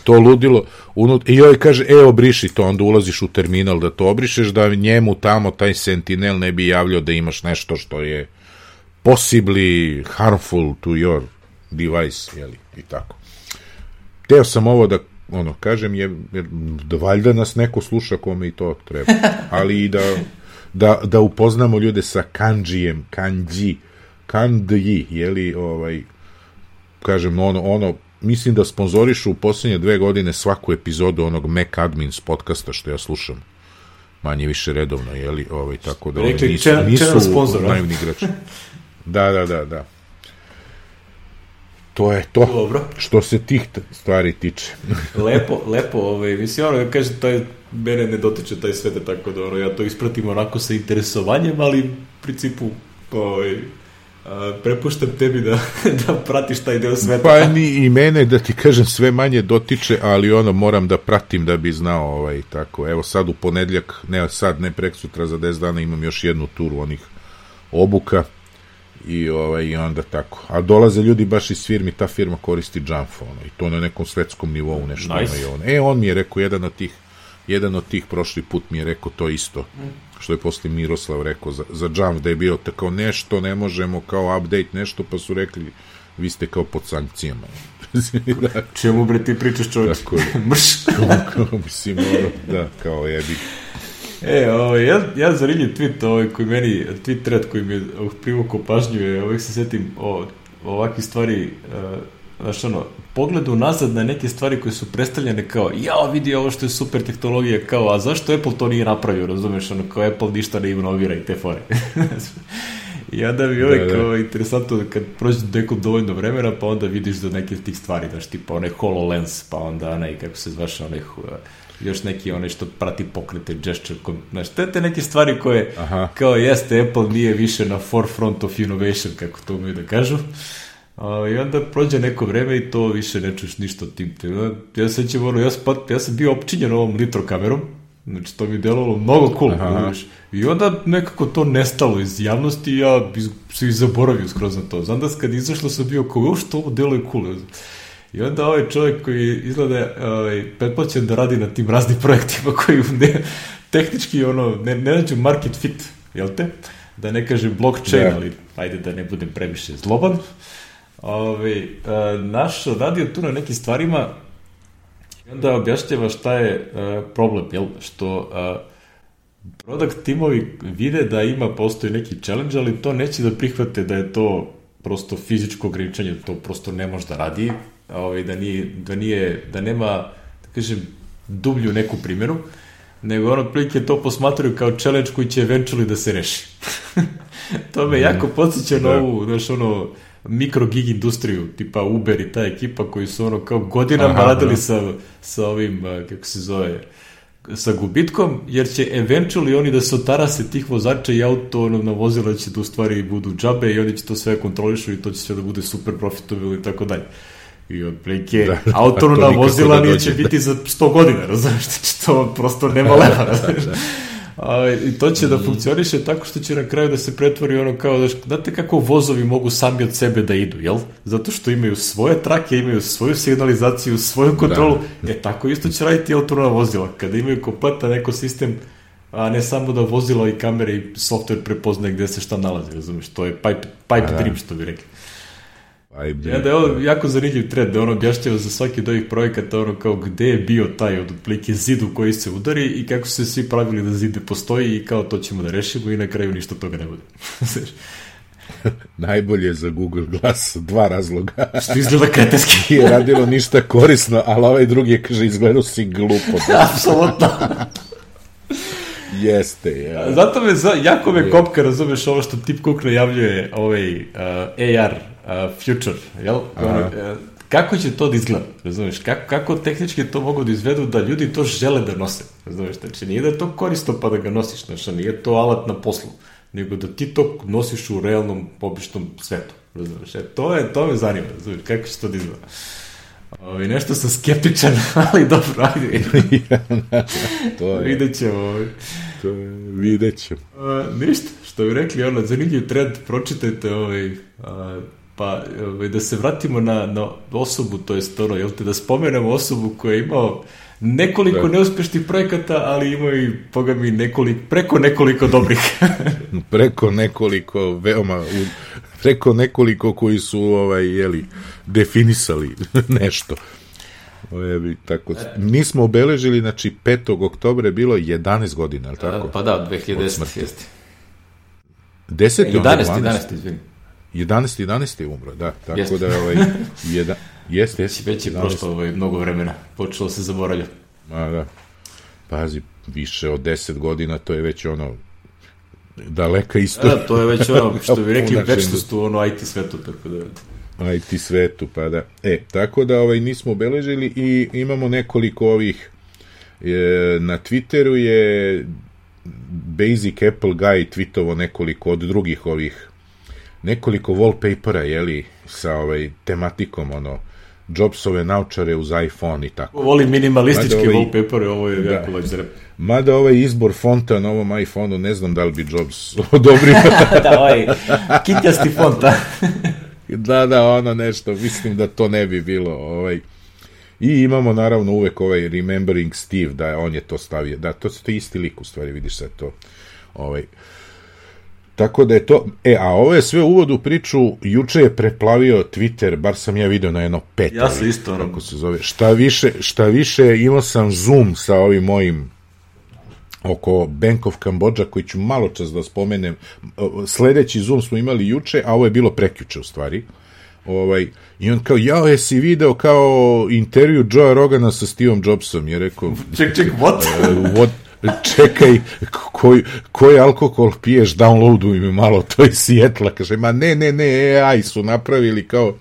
S2: to ludilo, unut, i joj kaže, e, obriši to, onda ulaziš u terminal da to obrišeš, da njemu tamo taj Sentinel ne bi javljao da imaš nešto što je possibly harmful to your device, jeli, i tako. Teo sam ovo da ono, kažem, je, jer da valjda nas neko sluša kome i to treba, ali i da, da, da upoznamo ljude sa Kanjijem, Kanji, Kanji, jeli, ovaj, kažem, ono, ono, mislim da sponzorišu u posljednje dve godine svaku epizodu onog Mac Admins podcasta što ja slušam. manje više redovno, jeli, ovaj, tako da
S1: rekli,
S2: nisu,
S1: čena,
S2: nisu
S1: čena
S2: naivni igrači. Da, da, da, da. To je to, dobro. Što se tih stvari tiče.
S1: lepo, lepo, ovaj, mislim, ono, kažem, taj, mene ne dotiče taj svet, tako da, ono, ja to ispratim onako sa interesovanjem, ali u principu, ovaj, a, prepuštam tebi da, da pratiš taj deo sveta.
S2: Pa ni i mene, da ti kažem, sve manje dotiče, ali ono, moram da pratim da bi znao, ovaj, tako, evo sad u ponedljak, ne sad, ne preksutra, za deset dana imam još jednu turu onih obuka, i ovaj i onda tako. A dolaze ljudi baš iz firmi, ta firma koristi Jamfo, ono, i to na nekom svetskom nivou nešto nice. Ima i on. E, on mi je rekao, jedan od tih jedan od tih prošli put mi je rekao to isto, mm. što je posle Miroslav rekao za, za Jamf, da je bio tako nešto, ne možemo kao update nešto, pa su rekli, vi ste kao pod sankcijama.
S1: Da. Čemu bre ti pričaš, čovječ? Mrš.
S2: Kao, mislim, ono, da, kao jebi.
S1: E, ovaj, ja, ja zanimljiv tweet, ovaj, koji meni, tweet thread koji mi je privukao pažnju je, ovaj se setim o, ovakvih stvari, uh, znaš ono, pogledu nazad na neke stvari koje su predstavljene kao, jao, vidi ovo što je super tehnologija, kao, a zašto Apple to nije napravio, razumeš, ono, kao Apple ništa ne inovira i te fore. I onda mi je da, kao da. Interesantno da kad prođe neko dovoljno vremena, pa onda vidiš da neke tih stvari, znaš, tipa onaj HoloLens, pa onda onaj, kako se zvaš, onaj, još neki onaj što prati pokrete, gesture, znaš, te, te neke stvari koje, aha. kao jeste, Apple nije više na forefront of innovation, kako to umiju da kažu. Uh, I onda prođe neko vreme i to više ne čuš ništa od tim. Ja, sećam, ono, ja, spat, ja sam bio opčinjen ovom litrokamerom, znači to mi je delovalo mnogo cool. I onda nekako to nestalo iz javnosti i ja se i zaboravio skroz na to. Znam da kad izašlo sam bio kao, što ovo deluje cool. I onda ovaj čovjek koji izgleda ovaj, pretplaćen da radi na tim raznim projektima koji ne, tehnički ono, ne, ne nađu market fit, jel te? Da ne kažem blockchain, yeah. ali ajde da ne budem previše zloban. Ove, a, naš radio tu na nekim stvarima i onda objašnjava šta je a, problem, jel? Što a, product timovi vide da ima, postoji neki challenge, ali to neće da prihvate da je to prosto fizičko ograničenje, da to prosto ne može da radi, ove, da, nije, da, nije, da nema, da kažem, dublju neku primjeru, nego ono prilike to posmatruju kao challenge koji će eventually da se reši. To me mm. jako podsjeća na ovu, znaš, ono, mikro gig industriju, tipa Uber i ta ekipa koji su ono kao godinama aha, radili sa, sa ovim, kako se zove, sa gubitkom, jer će eventually oni da se otarase tih vozača i auto ono, na vozila će da u stvari budu džabe i oni će to sve kontrolišu i to će sve da bude super profitabilno i tako dalje. I otprilike da, autonomna vozila da neće biti za sto godina, razumiješ, to prosto nema leva, razumiješ. A, i to će mm. da funkcioniše tako što će na kraju da se pretvori ono kao, da, znate kako vozovi mogu sami od sebe da idu, jel? Zato što imaju svoje trake, imaju svoju signalizaciju, svoju kontrolu, da. E tako isto će raditi autonomna vozila, kada imaju kompletan ekosistem, a ne samo da vozila i kamere i software prepoznaje gde se šta nalazi, razumiješ, to je pipe, pipe da. dream, što bi rekli. Ja, da je ovo jako zanimljiv trend, da ono objašnjava za svaki od ovih projekata ono kao gde je bio taj od otprilike zid u koji se udari i kako su se svi pravili da zid ne postoji i kao to ćemo da rešimo i na kraju ništa toga ne bude.
S2: Najbolje za Google Glass, dva razloga.
S1: Što izgleda kretenski.
S2: Nije radilo ništa korisno, ali ovaj drugi je, kaže, izgledao si glupo.
S1: Apsolutno.
S2: Jeste, ja.
S1: Zato me, jako me kopka, razumeš, ovo što Tim Cook najavljuje ovaj uh, A R uh, future, jel? Uh, kako će to da izgleda, razumeš? Kako, kako tehnički to mogu da izvedu da ljudi to žele da nose, razumeš? Znači, nije da je to korisno pa da ga nosiš, znači, nije to alat na poslu, nego da ti to nosiš u realnom, običnom svetu, razumeš? E, to, je, to me zanima, razumeš? Kako će to da izgleda? Ovi, nešto sam skeptičan, ali dobro, ajde.
S2: To je.
S1: Vidjet ćemo.
S2: To je, vidjet ćemo.
S1: Uh, ništa, što bi rekli, ono, zanimljiv trend, pročitajte, ovaj, uh, pa ovaj, da se vratimo na, na osobu, to jest ono, jel te, da spomenemo osobu koja je imao nekoliko da. neuspešnih projekata, ali ima i, boga mi, nekoliko, preko nekoliko dobrih.
S2: Preko nekoliko, veoma, preko nekoliko koji su, ovaj, jeli, definisali nešto. Ojebi, tako. Mi smo obeležili, znači, petog oktobra je bilo jedanaest godina, ali tako?
S1: Pa da, dve hiljade desete. jeste.
S2: deset
S1: jedanaest, jedanaest, izvini.
S2: jedanaest, jedanaest je umro, da. Tako
S1: jeste.
S2: da, ovaj, jedan, jeste, jeste.
S1: Već je prošlo ovaj, mnogo vremena, počelo se zaboravljati.
S2: Ma, da. Pazi, više od deset godina, to je već ono daleka istorija.
S1: Da, to je već ono, što bi rekli, večnost u ono I T svetu, tako da...
S2: I T svetu, pa da. E, tako da ovaj, nismo obeležili i imamo nekoliko ovih, e, na Twitteru je Basic Apple Guy tweetovo nekoliko od drugih ovih, nekoliko wallpapera, jeli, sa ovaj tematikom, ono, Jobsove naučare uz iPhone i tako.
S1: Voli minimalistički ovaj, wallpaper, ovo je jako lać zrep.
S2: Mada ovaj izbor fonta na ovom iPhone-u, ne znam da li bi Jobs odobrio.
S1: Da, ovaj kitjasti fonta.
S2: Da, da, ono nešto, mislim da to ne bi bilo. Ovaj. I imamo naravno uvek ovaj Remembering Steve, da on je to stavio. Da, to je isti lik, u stvari, vidiš sad to. Ovaj. Tako da je to, e, a ovo je sve uvod u priču, juče je preplavio Twitter, bar sam ja video na jedno pet.
S1: Ja sam isto.
S2: Kako se zove. Šta više, šta više, imao sam Zoom sa ovim mojim oko Bank of Cambodia, koji ću malo čas da spomenem. Sledeći Zoom smo imali juče, a ovo je bilo prekjuče u stvari. Ovaj, i on kao, jao, jesi video kao intervju Joea Rogana sa Steveom Jobsom? Je rekao,
S1: ček, ček, what?
S2: Uh, what? Čekaj, koji, koji alkohol piješ, downloaduj mi malo, to je Seattle. Kaže, ma ne, ne, ne, A I su napravili kao,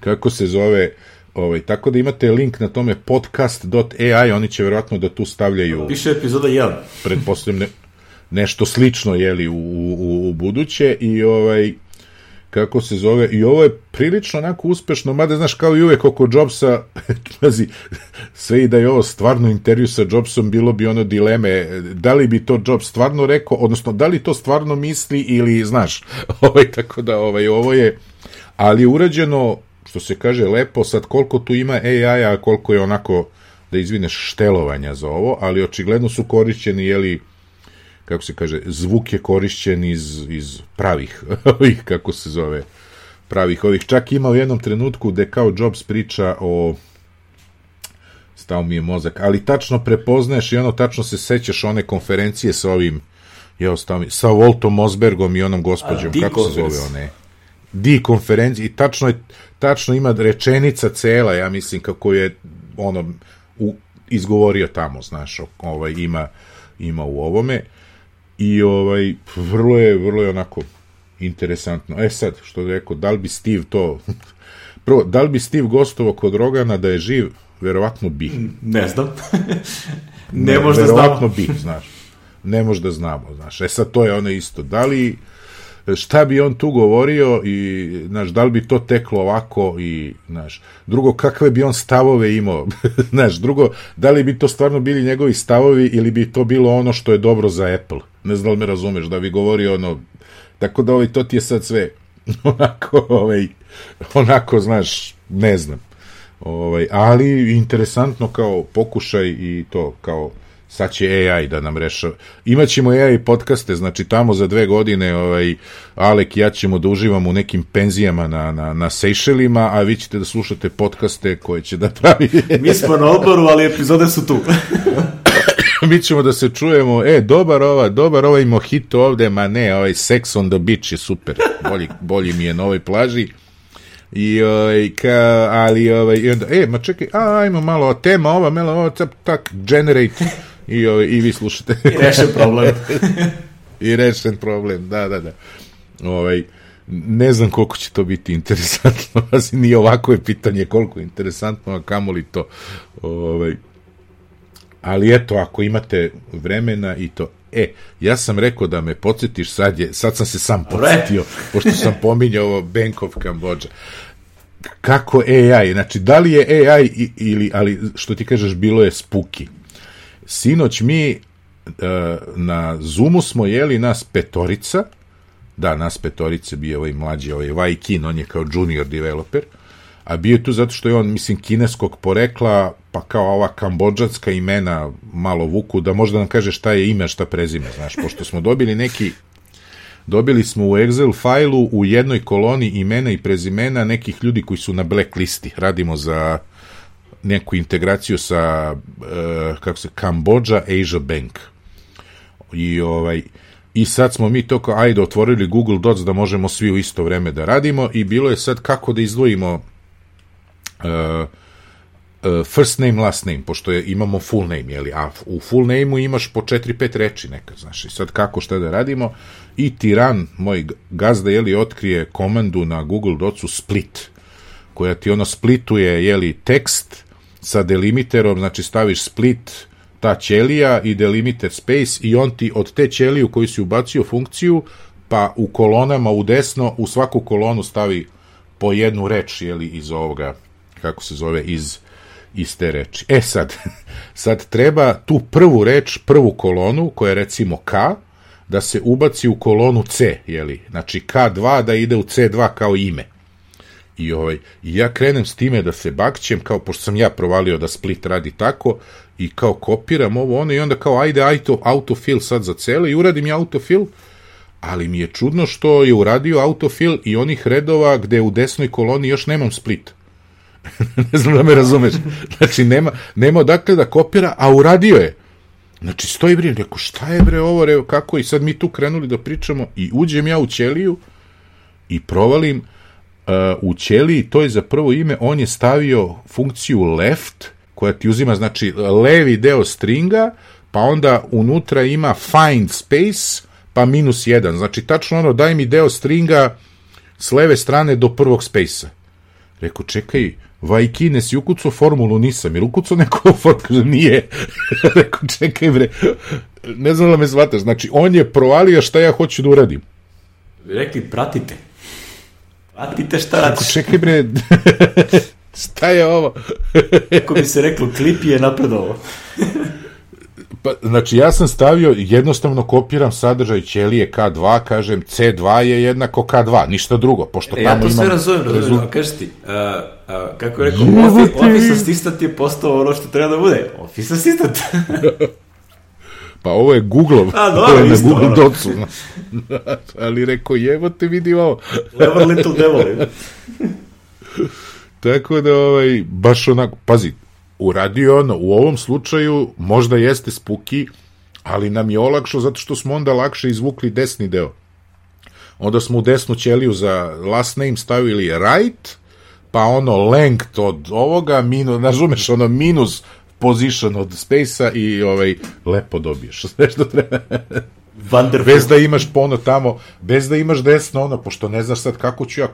S2: kako se zove, ovaj, tako da imate link na tome podcast dot A I, oni će verovatno da tu stavljaju...
S1: Piše epizoda jedan.
S2: Pretpostavljam ne, nešto slično, jeli, u, u, u buduće i ovaj... kako se zove, i ovo je prilično onako uspešno, mada znaš kao i uvek oko Jobsa, pazi, sve i da je ovo stvarno intervju sa Jobsom, bilo bi ono dileme, da li bi to Jobs stvarno rekao, odnosno da li to stvarno misli ili, znaš, ovaj, tako da ovaj, ovo je, ali je urađeno, što se kaže, lepo, sad koliko tu ima A I, a koliko je onako, da izvineš, štelovanja za ovo, ali očigledno su korišćeni, jeli, kako se kaže, zvuk je korišćen iz, iz pravih, ovih, kako se zove, pravih ovih. Čak ima u jednom trenutku gde kao Jobs priča o, stao mi je mozak, ali tačno prepoznaješ i ono, tačno se sećaš one konferencije sa ovim, je ostao mi, sa Waltom Mosbergom i onom gospođom, A, kako se zove one? D konferencije, i tačno je, tačno ima rečenica cela, ja mislim, kako je ono, u, izgovorio tamo, znaš, ovaj, ima, ima u ovome. I ovaj, vrlo je, vrlo je onako interesantno. E sad, što je rekao, da li bi Steve to... Prvo, da li bi Steve gostovao kod Rogana da je živ? Verovatno bi.
S1: Ne znam. ne, ne možda znamo.
S2: Verovatno bi, znaš. Ne možda znamo, znaš. E sad, to je ono isto. Da li... Šta bi on tu govorio i, znaš, da li bi to teklo ovako i, znaš, drugo, kakve bi on stavove imao, znaš, drugo, da li bi to stvarno bili njegovi stavovi ili bi to bilo ono što je dobro za Apple, ne znam da li me razumeš, da bi govorio ono, tako da ovaj, to ti je sad sve, onako, ovaj, onako, znaš, ne znam, ovaj, ali interesantno kao pokušaj i to, kao, sad će A I da nam rešava. Imaćemo A I podcaste, znači tamo za dve godine ovaj, Alek i ja ćemo da uživamo u nekim penzijama na, na, na Sejšelima, a vi ćete da slušate podcaste koje će da pravi.
S1: Mi smo na odboru, ali epizode su tu.
S2: Mi ćemo da se čujemo, e, dobar ova, dobar ovaj mojito ovde, ma ne, ovaj Sex on the Beach je super, bolji, bolji mi je na ovoj plaži. I ovaj, ka, ali ovaj, i onda, e, ma čekaj, a, ajmo malo, tema ova, malo, ovo, tak, tak, generate, i, ovaj, i vi slušate.
S1: I rešen problem.
S2: I rešen problem, da, da, da. Ovaj, ne znam koliko će to biti interesantno, nije ovako je pitanje koliko je interesantno, a kamoli to. Ovaj, ali eto, ako imate vremena i to, e, ja sam rekao da me podsjetiš, sad, je, sad sam se sam podsjetio, pošto sam pominjao ovo Bank of Cambodia. Kako A I, znači, da li je A I ili, ali što ti kažeš, bilo je spooky. Sinoć mi uh, na Zoomu smo jeli nas petorica, da, nas petorice, bio ovaj mlađi, ovaj Wai Kin, on je kao junior developer, a bio je tu zato što je on, mislim, kineskog porekla, pa kao ova kambodžanska imena malo vuku, da možda nam kaže šta je ime, šta prezime, znaš, pošto smo dobili neki, dobili smo u Excel fajlu u jednoj koloni imena i prezimena nekih ljudi koji su na blacklisti, radimo za neku integraciju sa, uh, kako se, Cambodia Asia Bank. I ovaj, i sad smo mi to kao, ajde, otvorili Google Docs da možemo svi u isto vreme da radimo i bilo je sad kako da izdvojimo uh, uh, first name, last name, pošto je, imamo full name, jeli, a u full name-u imaš po četiri pet reči nekad, znaš, i sad kako, šta da radimo, i tiran, moj gazda, jeli, otkrije komandu na Google Docsu split, koja ti ono splituje, jeli, tekst sa delimiterom, znači staviš split, ta ćelija i delimiter space i on ti od te ćelije u koju si ubacio funkciju, pa u kolonama u desno, u svaku kolonu stavi po jednu reč, jeli, iz ovoga, kako se zove, iz, iz te reči. E sad, sad treba tu prvu reč, prvu kolonu, koja je recimo K, da se ubaci u kolonu C, jeli, znači K dva da ide u C dva kao ime. I ovaj, ja krenem s time da se bakćem, kao, pošto sam ja provalio da split radi tako, i kao kopiram ovo ono, i onda kao ajde auto, autofill sad za cele, i uradim ja autofill, ali mi je čudno što je uradio autofill i onih redova gde u desnoj koloni još nemam split. Ne znam da me razumeš. Znači, nema, nema odakle da kopira, a uradio je. Znači, stoji bre, rekao, šta je bre ovo, re, kako, i sad mi tu krenuli da pričamo, i uđem ja u ćeliju i provalim uh, u ćeliji, to je za prvo ime, on je stavio funkciju left, koja ti uzima, znači, levi deo stringa, pa onda unutra ima find space, pa minus jedan. Znači, tačno ono, daj mi deo stringa s leve strane do prvog space-a. Rekao, čekaj, Vajkine, si ukucao formulu? Nisam. Jer ukucao neko formulu? Kaže, nije. Rekao, čekaj, bre, ne znam da me shvataš. Znači, on je provalio šta ja hoću da uradim.
S1: Rekli, pratite. Pratite šta radiš.
S2: Rekao, čekaj, bre, šta je ovo?
S1: Kako bi se reklo, klip je napredovo.
S2: Pa, znači, ja sam stavio, jednostavno kopiram sadržaj ćelije K dva, kažem C dva je jednako K dva, ništa drugo, pošto
S1: e,
S2: tamo
S1: ja to
S2: imam...
S1: sve razumem, razumem,
S2: rezult...
S1: a kažeš ti, a, a, kako je rekao, office, office assistant je postao ono što treba da bude, office assistant.
S2: Pa ovo je Google-ov,
S1: a, dobro,
S2: ovo je na
S1: isto,
S2: Google
S1: ono.
S2: Docsu. Ali rekao, jevo te vidi ovo.
S1: Clever little devil.
S2: Tako da, ovaj, baš onako, pazi, uradio ono, u ovom slučaju možda jeste spuki, ali nam je olakšao zato što smo onda lakše izvukli desni deo. Onda smo u desnu ćeliju za last name stavili right, pa ono length od ovoga, minus, razumeš, ono minus position od space-a i ovaj, lepo dobiješ. Sve što treba.
S1: Wonderful.
S2: Bez da imaš pono tamo, bez da imaš desno ono, pošto ne znaš sad kako ću ja,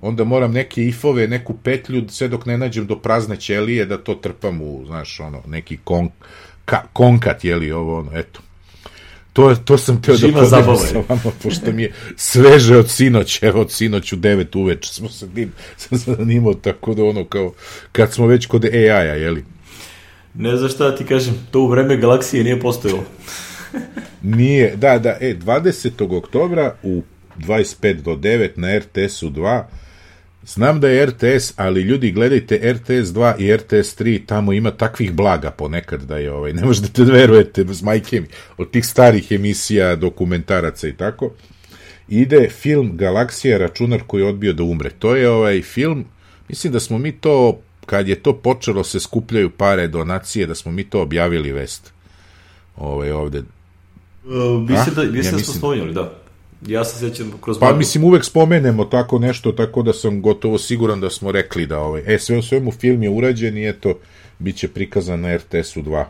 S2: onda moram neke ifove, neku petlju, sve dok ne nađem do prazne ćelije, da to trpam u, znaš, ono, neki kon, ka, konkat, jeli, ovo, ono, eto. To, to sam teo
S1: Živa
S2: da podelim
S1: zabava.
S2: sa vama, pošto mi je sveže od sinoć, evo, od sinoć u devet uveče smo se tim, sam se zanimao, tako da, ono, kao, kad smo već kod A I-a, jeli.
S1: Ne znaš šta ti kažem, to u vreme galaksije nije postojalo.
S2: Nije, da, da, e, dvadesetog oktobra u dvadeset pet do devet na R T S-u dva, znam da je R T S, ali ljudi gledajte R T S dva i R T S tri, tamo ima takvih blaga ponekad da je, ovaj, ne možete da verujete s majke mi, od tih starih emisija, dokumentaraca i tako, ide film Galaksija, računar koji je odbio da umre. To je ovaj film, mislim da smo mi to, kad je to počelo se skupljaju pare, donacije, da smo mi to objavili vest. Ovaj, ovde.
S1: Uh, mislim da, mislim
S2: ja
S1: da
S2: mislim...
S1: smo spomenuli, da. Ja se sjećam kroz...
S2: Pa
S1: blagu.
S2: mislim uvek spomenemo tako nešto, tako da sam gotovo siguran da smo rekli da ovaj... E, sve u svemu film je urađen i eto, bit će prikazan na R T S-u dva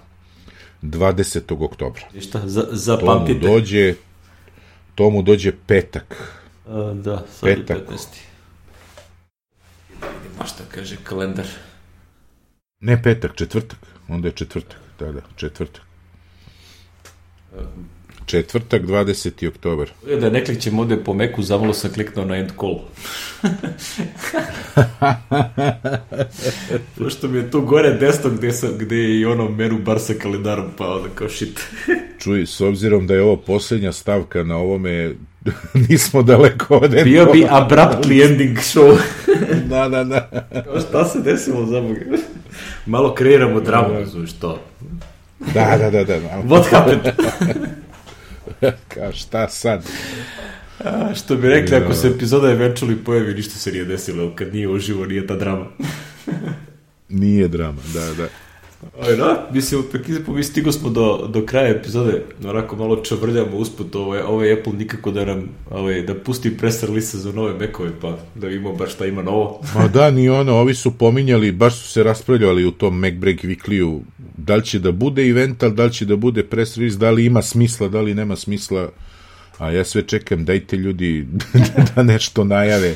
S2: dvadesetog oktobra.
S1: I šta, za, zapamtite.
S2: To mu dođe, to mu dođe petak.
S1: Uh, da, sad
S2: Petak.
S1: je petnaesti. Da vidimo šta kaže kalendar.
S2: Ne petak, četvrtak. Onda je četvrtak, da, da, četvrtak. Četvrtak, dvadeseti oktobar.
S1: Da ne klikćem ovde po meku, zamalo sam kliknuo na end call. Pošto mi je tu gore desno gde, sam, gde je i ono meru bar sa kalendarom, pa onda kao shit.
S2: Čuj, s obzirom da je ovo posljednja stavka na ovome, nismo daleko od end
S1: Bio bi abruptly ending show.
S2: Da, da, da.
S1: Kao šta se desilo za Boga? Malo kreiramo dramu, znaš to.
S2: Da, da, da, da.
S1: What happened?
S2: Kao šta sad?
S1: A, što bi rekli, ako se epizoda eventually pojavi, ništa se nije desilo, kad nije uživo, nije ta drama.
S2: Nije drama, da, da.
S1: Aj, da, mislim, mi stigo smo do, do kraja epizode, onako malo čavrljamo usput, ovaj, ovaj Apple nikako da nam, ovaj, da pusti press release za nove Macove, pa da vidimo baš šta ima novo.
S2: Ma da, ni ono, ovi su pominjali, baš su se raspravljali u tom MacBreak Weekly-u, da li će da bude event, da li će da bude press release, da li ima smisla, da li nema smisla, a ja sve čekam, dajte ljudi da nešto najave.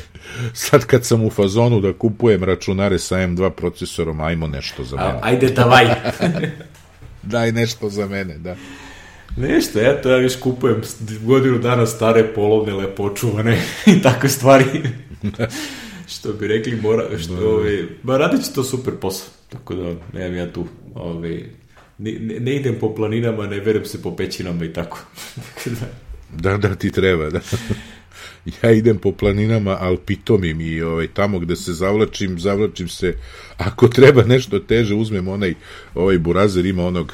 S2: Sad kad sam u fazonu da kupujem računare sa M dva procesorom, ajmo nešto za mene.
S1: A, ajde davaj.
S2: Daj nešto za mene, da.
S1: Nešto, eto, ja viš kupujem godinu dana stare, polovne, lepo očuvane i takve stvari. Što bi rekli, mora, što, ovaj, ba radit će to super posao, tako da nemam ja tu, ovaj, ne, ne idem po planinama, ne verujem se po pećinama i tako.
S2: Da, da, ti treba, da. Ja idem po planinama, ali pitomim i ovaj, tamo gde se zavlačim, zavlačim se, ako treba nešto teže, uzmem onaj, ovaj burazer ima onog,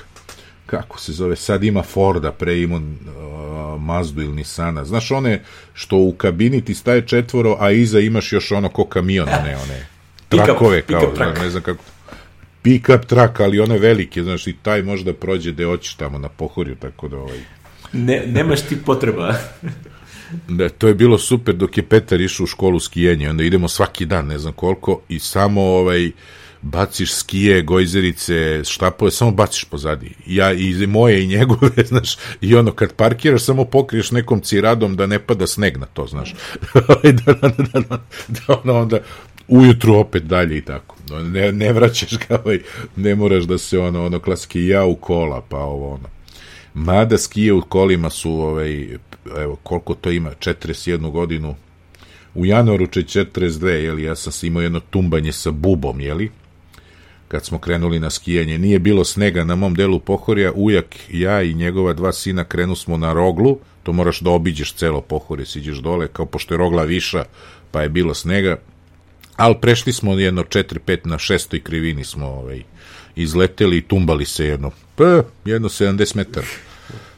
S2: kako se zove, sad ima Forda, pre ima uh, Mazdu ili Nissana, znaš one što u kabini ti staje četvoro, a iza imaš još ono ko kamion, one, one trakove,
S1: pick up,
S2: kao,
S1: pick up
S2: ne znam kako, pick-up trak, ali one velike, znaš, i taj možda prođe gde hoćeš tamo na Pohorju, tako da ovaj...
S1: Ne, nemaš ti potreba.
S2: Da, to je bilo super dok je Petar išao u školu skijenja, onda idemo svaki dan, ne znam koliko, i samo ovaj, baciš skije, gojzerice, štapove, samo baciš pozadi. Ja i moje i njegove, znaš, i ono, kad parkiraš, samo pokriješ nekom ciradom da ne pada sneg na to, znaš. da, da, da, da, da ono onda ujutru opet dalje i tako. Ne, ne vraćaš ga, ovaj, ne moraš da se ono, ono klasike ja u kola, pa ovo ono. Mada skije u kolima su, ovaj, evo, koliko to ima, četrdeset jednu godinu, u januaru će četrdeset dve, jeli, ja sam imao jedno tumbanje sa bubom, jeli, kad smo krenuli na skijanje, nije bilo snega na mom delu Pohorja, ujak, ja i njegova dva sina krenu smo na Roglu, to moraš da obiđeš celo Pohorje, siđeš dole, kao pošto je Rogla viša, pa je bilo snega, ali prešli smo jedno četiri pet na šestoj krivini smo, ovaj, izleteli i tumbali se jedno, pa, jedno sedamdeset metara.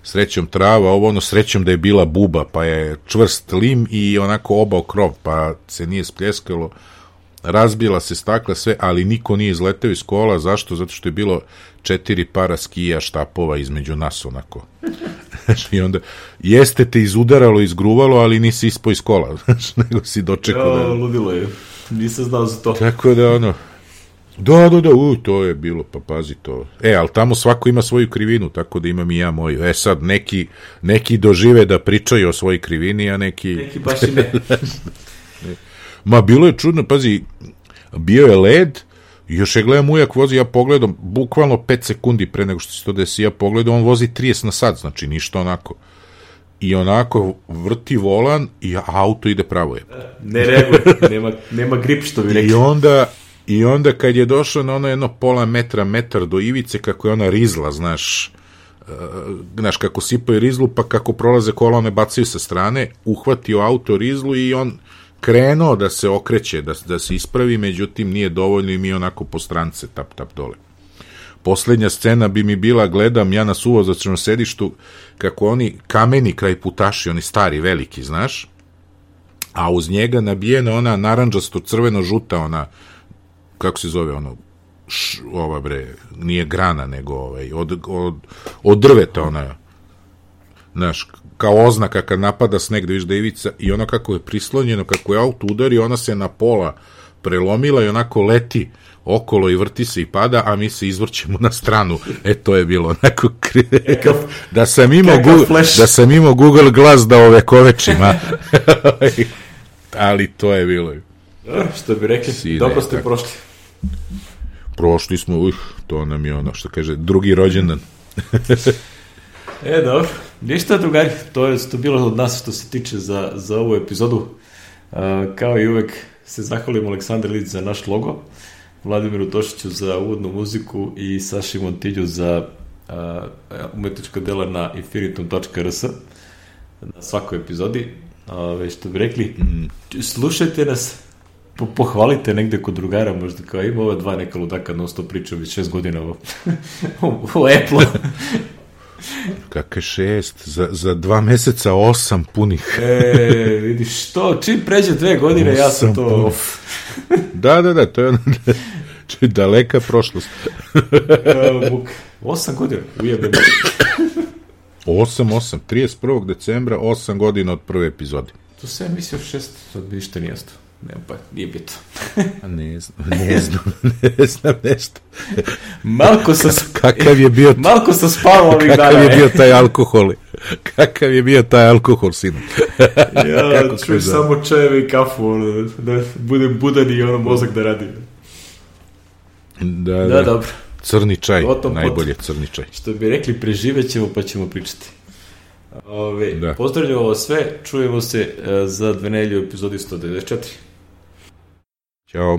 S2: Srećom trava, ovo ono, srećom da je bila buba, pa je čvrst lim i onako obao krov, pa se nije spljeskalo, razbila se stakla sve, ali niko nije izleteo iz kola, zašto? Zato što je bilo četiri para skija, štapova između nas, onako. I onda, jeste te izudaralo, izgruvalo, ali nisi ispao iz kola, nego si dočekao da...
S1: Jo, ludilo je, nisam znao za to.
S2: Tako da, ono, da, da, da, u, to je bilo, pa pazi to. E, ali tamo svako ima svoju krivinu, tako da imam i ja moju. E sad, neki, neki dožive da pričaju o svojoj krivini, a neki...
S1: Neki baš i ne.
S2: Ma, bilo je čudno, pazi, bio je led, još je gledam ujak vozi, ja pogledam, bukvalno pet sekundi pre nego što se to desi, ja pogledam, on vozi trideset na sat, znači ništa onako. I onako vrti volan i auto ide pravo je.
S1: Ne reaguje, nema, nema grip, što bi rekli.
S2: I onda... I onda kad je došao na ono jedno pola metra, metar do ivice, kako je ona rizla, znaš, uh, znaš, kako sipaju rizlu, pa kako prolaze kola, one bacaju sa strane, uhvatio auto rizlu i on krenuo da se okreće, da, da se ispravi, međutim nije dovoljno i mi onako po strance, tap, tap, dole. Poslednja scena bi mi bila, gledam ja na suvozačnom sedištu, kako oni kameni kraj putaši, oni stari, veliki, znaš, a uz njega nabijena ona naranđasto, crveno, žuta, ona, kako se zove ono, š, ova bre, nije grana, nego ovaj, od, od, od drveta ona, znaš, kao oznaka kad napada sneg da viš da je ivica, i ono kako je prislonjeno, kako je auto udari, ona se na pola prelomila i onako leti okolo i vrti se i pada, a mi se izvrćemo na stranu. E, to je bilo onako da sam imao Google, da sam imao Google Glass da ove kovečima. Ali to je bilo.
S1: Što bi rekli, si dobro ste tako prošli.
S2: Prošli smo, uh, to nam je ono što kaže, drugi rođendan.
S1: E, dobro. Ništa, drugari, to je to bilo od nas što se tiče za, za ovu epizodu. Uh, kao i uvek se zahvalim Aleksandar Lić za naš logo, Vladimiru Tošiću za uvodnu muziku i Saši Montilju za uh, umetnička dela na infinitum tačka r s na svakoj epizodi. Uh, što bi rekli, slušajte nas, po, pohvalite negde kod drugara, možda kao ima ova dva neka ludaka non stop priča već šest godina o, o Apple.
S2: Kakve šest? Za, za dva meseca osam punih.
S1: E, vidiš, što, čim pređe dve godine, ja sam to...
S2: da, da, da, to je ono... Če daleka prošlost.
S1: Vuk, osam godina, ujebem.
S2: osam, osam, trideset prvog decembra, osam godina od prve epizode.
S1: To se ja mislio šest, sad bi ništa nije sto. Ne, pa nije bito.
S2: ne znam, ne znam, ne znam nešto.
S1: Malko sam...
S2: Kakav je bio...
S1: Malko sam spavao ovih dana.
S2: Kakav je bio taj alkohol? Kakav je bio taj alkohol, sinu?
S1: Ja, čuj samo čajeve i kafu, ono, da budem budan i ono mozak da radi.
S2: Da,
S1: da,
S2: da.
S1: dobro.
S2: Crni čaj,
S1: Otom,
S2: najbolje
S1: pot.
S2: crni čaj.
S1: Što bi rekli, preživet ćemo pa ćemo pričati. Ove, da. Pozdravljamo ovo sve, čujemo se uh, za dve nedelje u epizodi sto devedeset četiri.
S2: Ćao.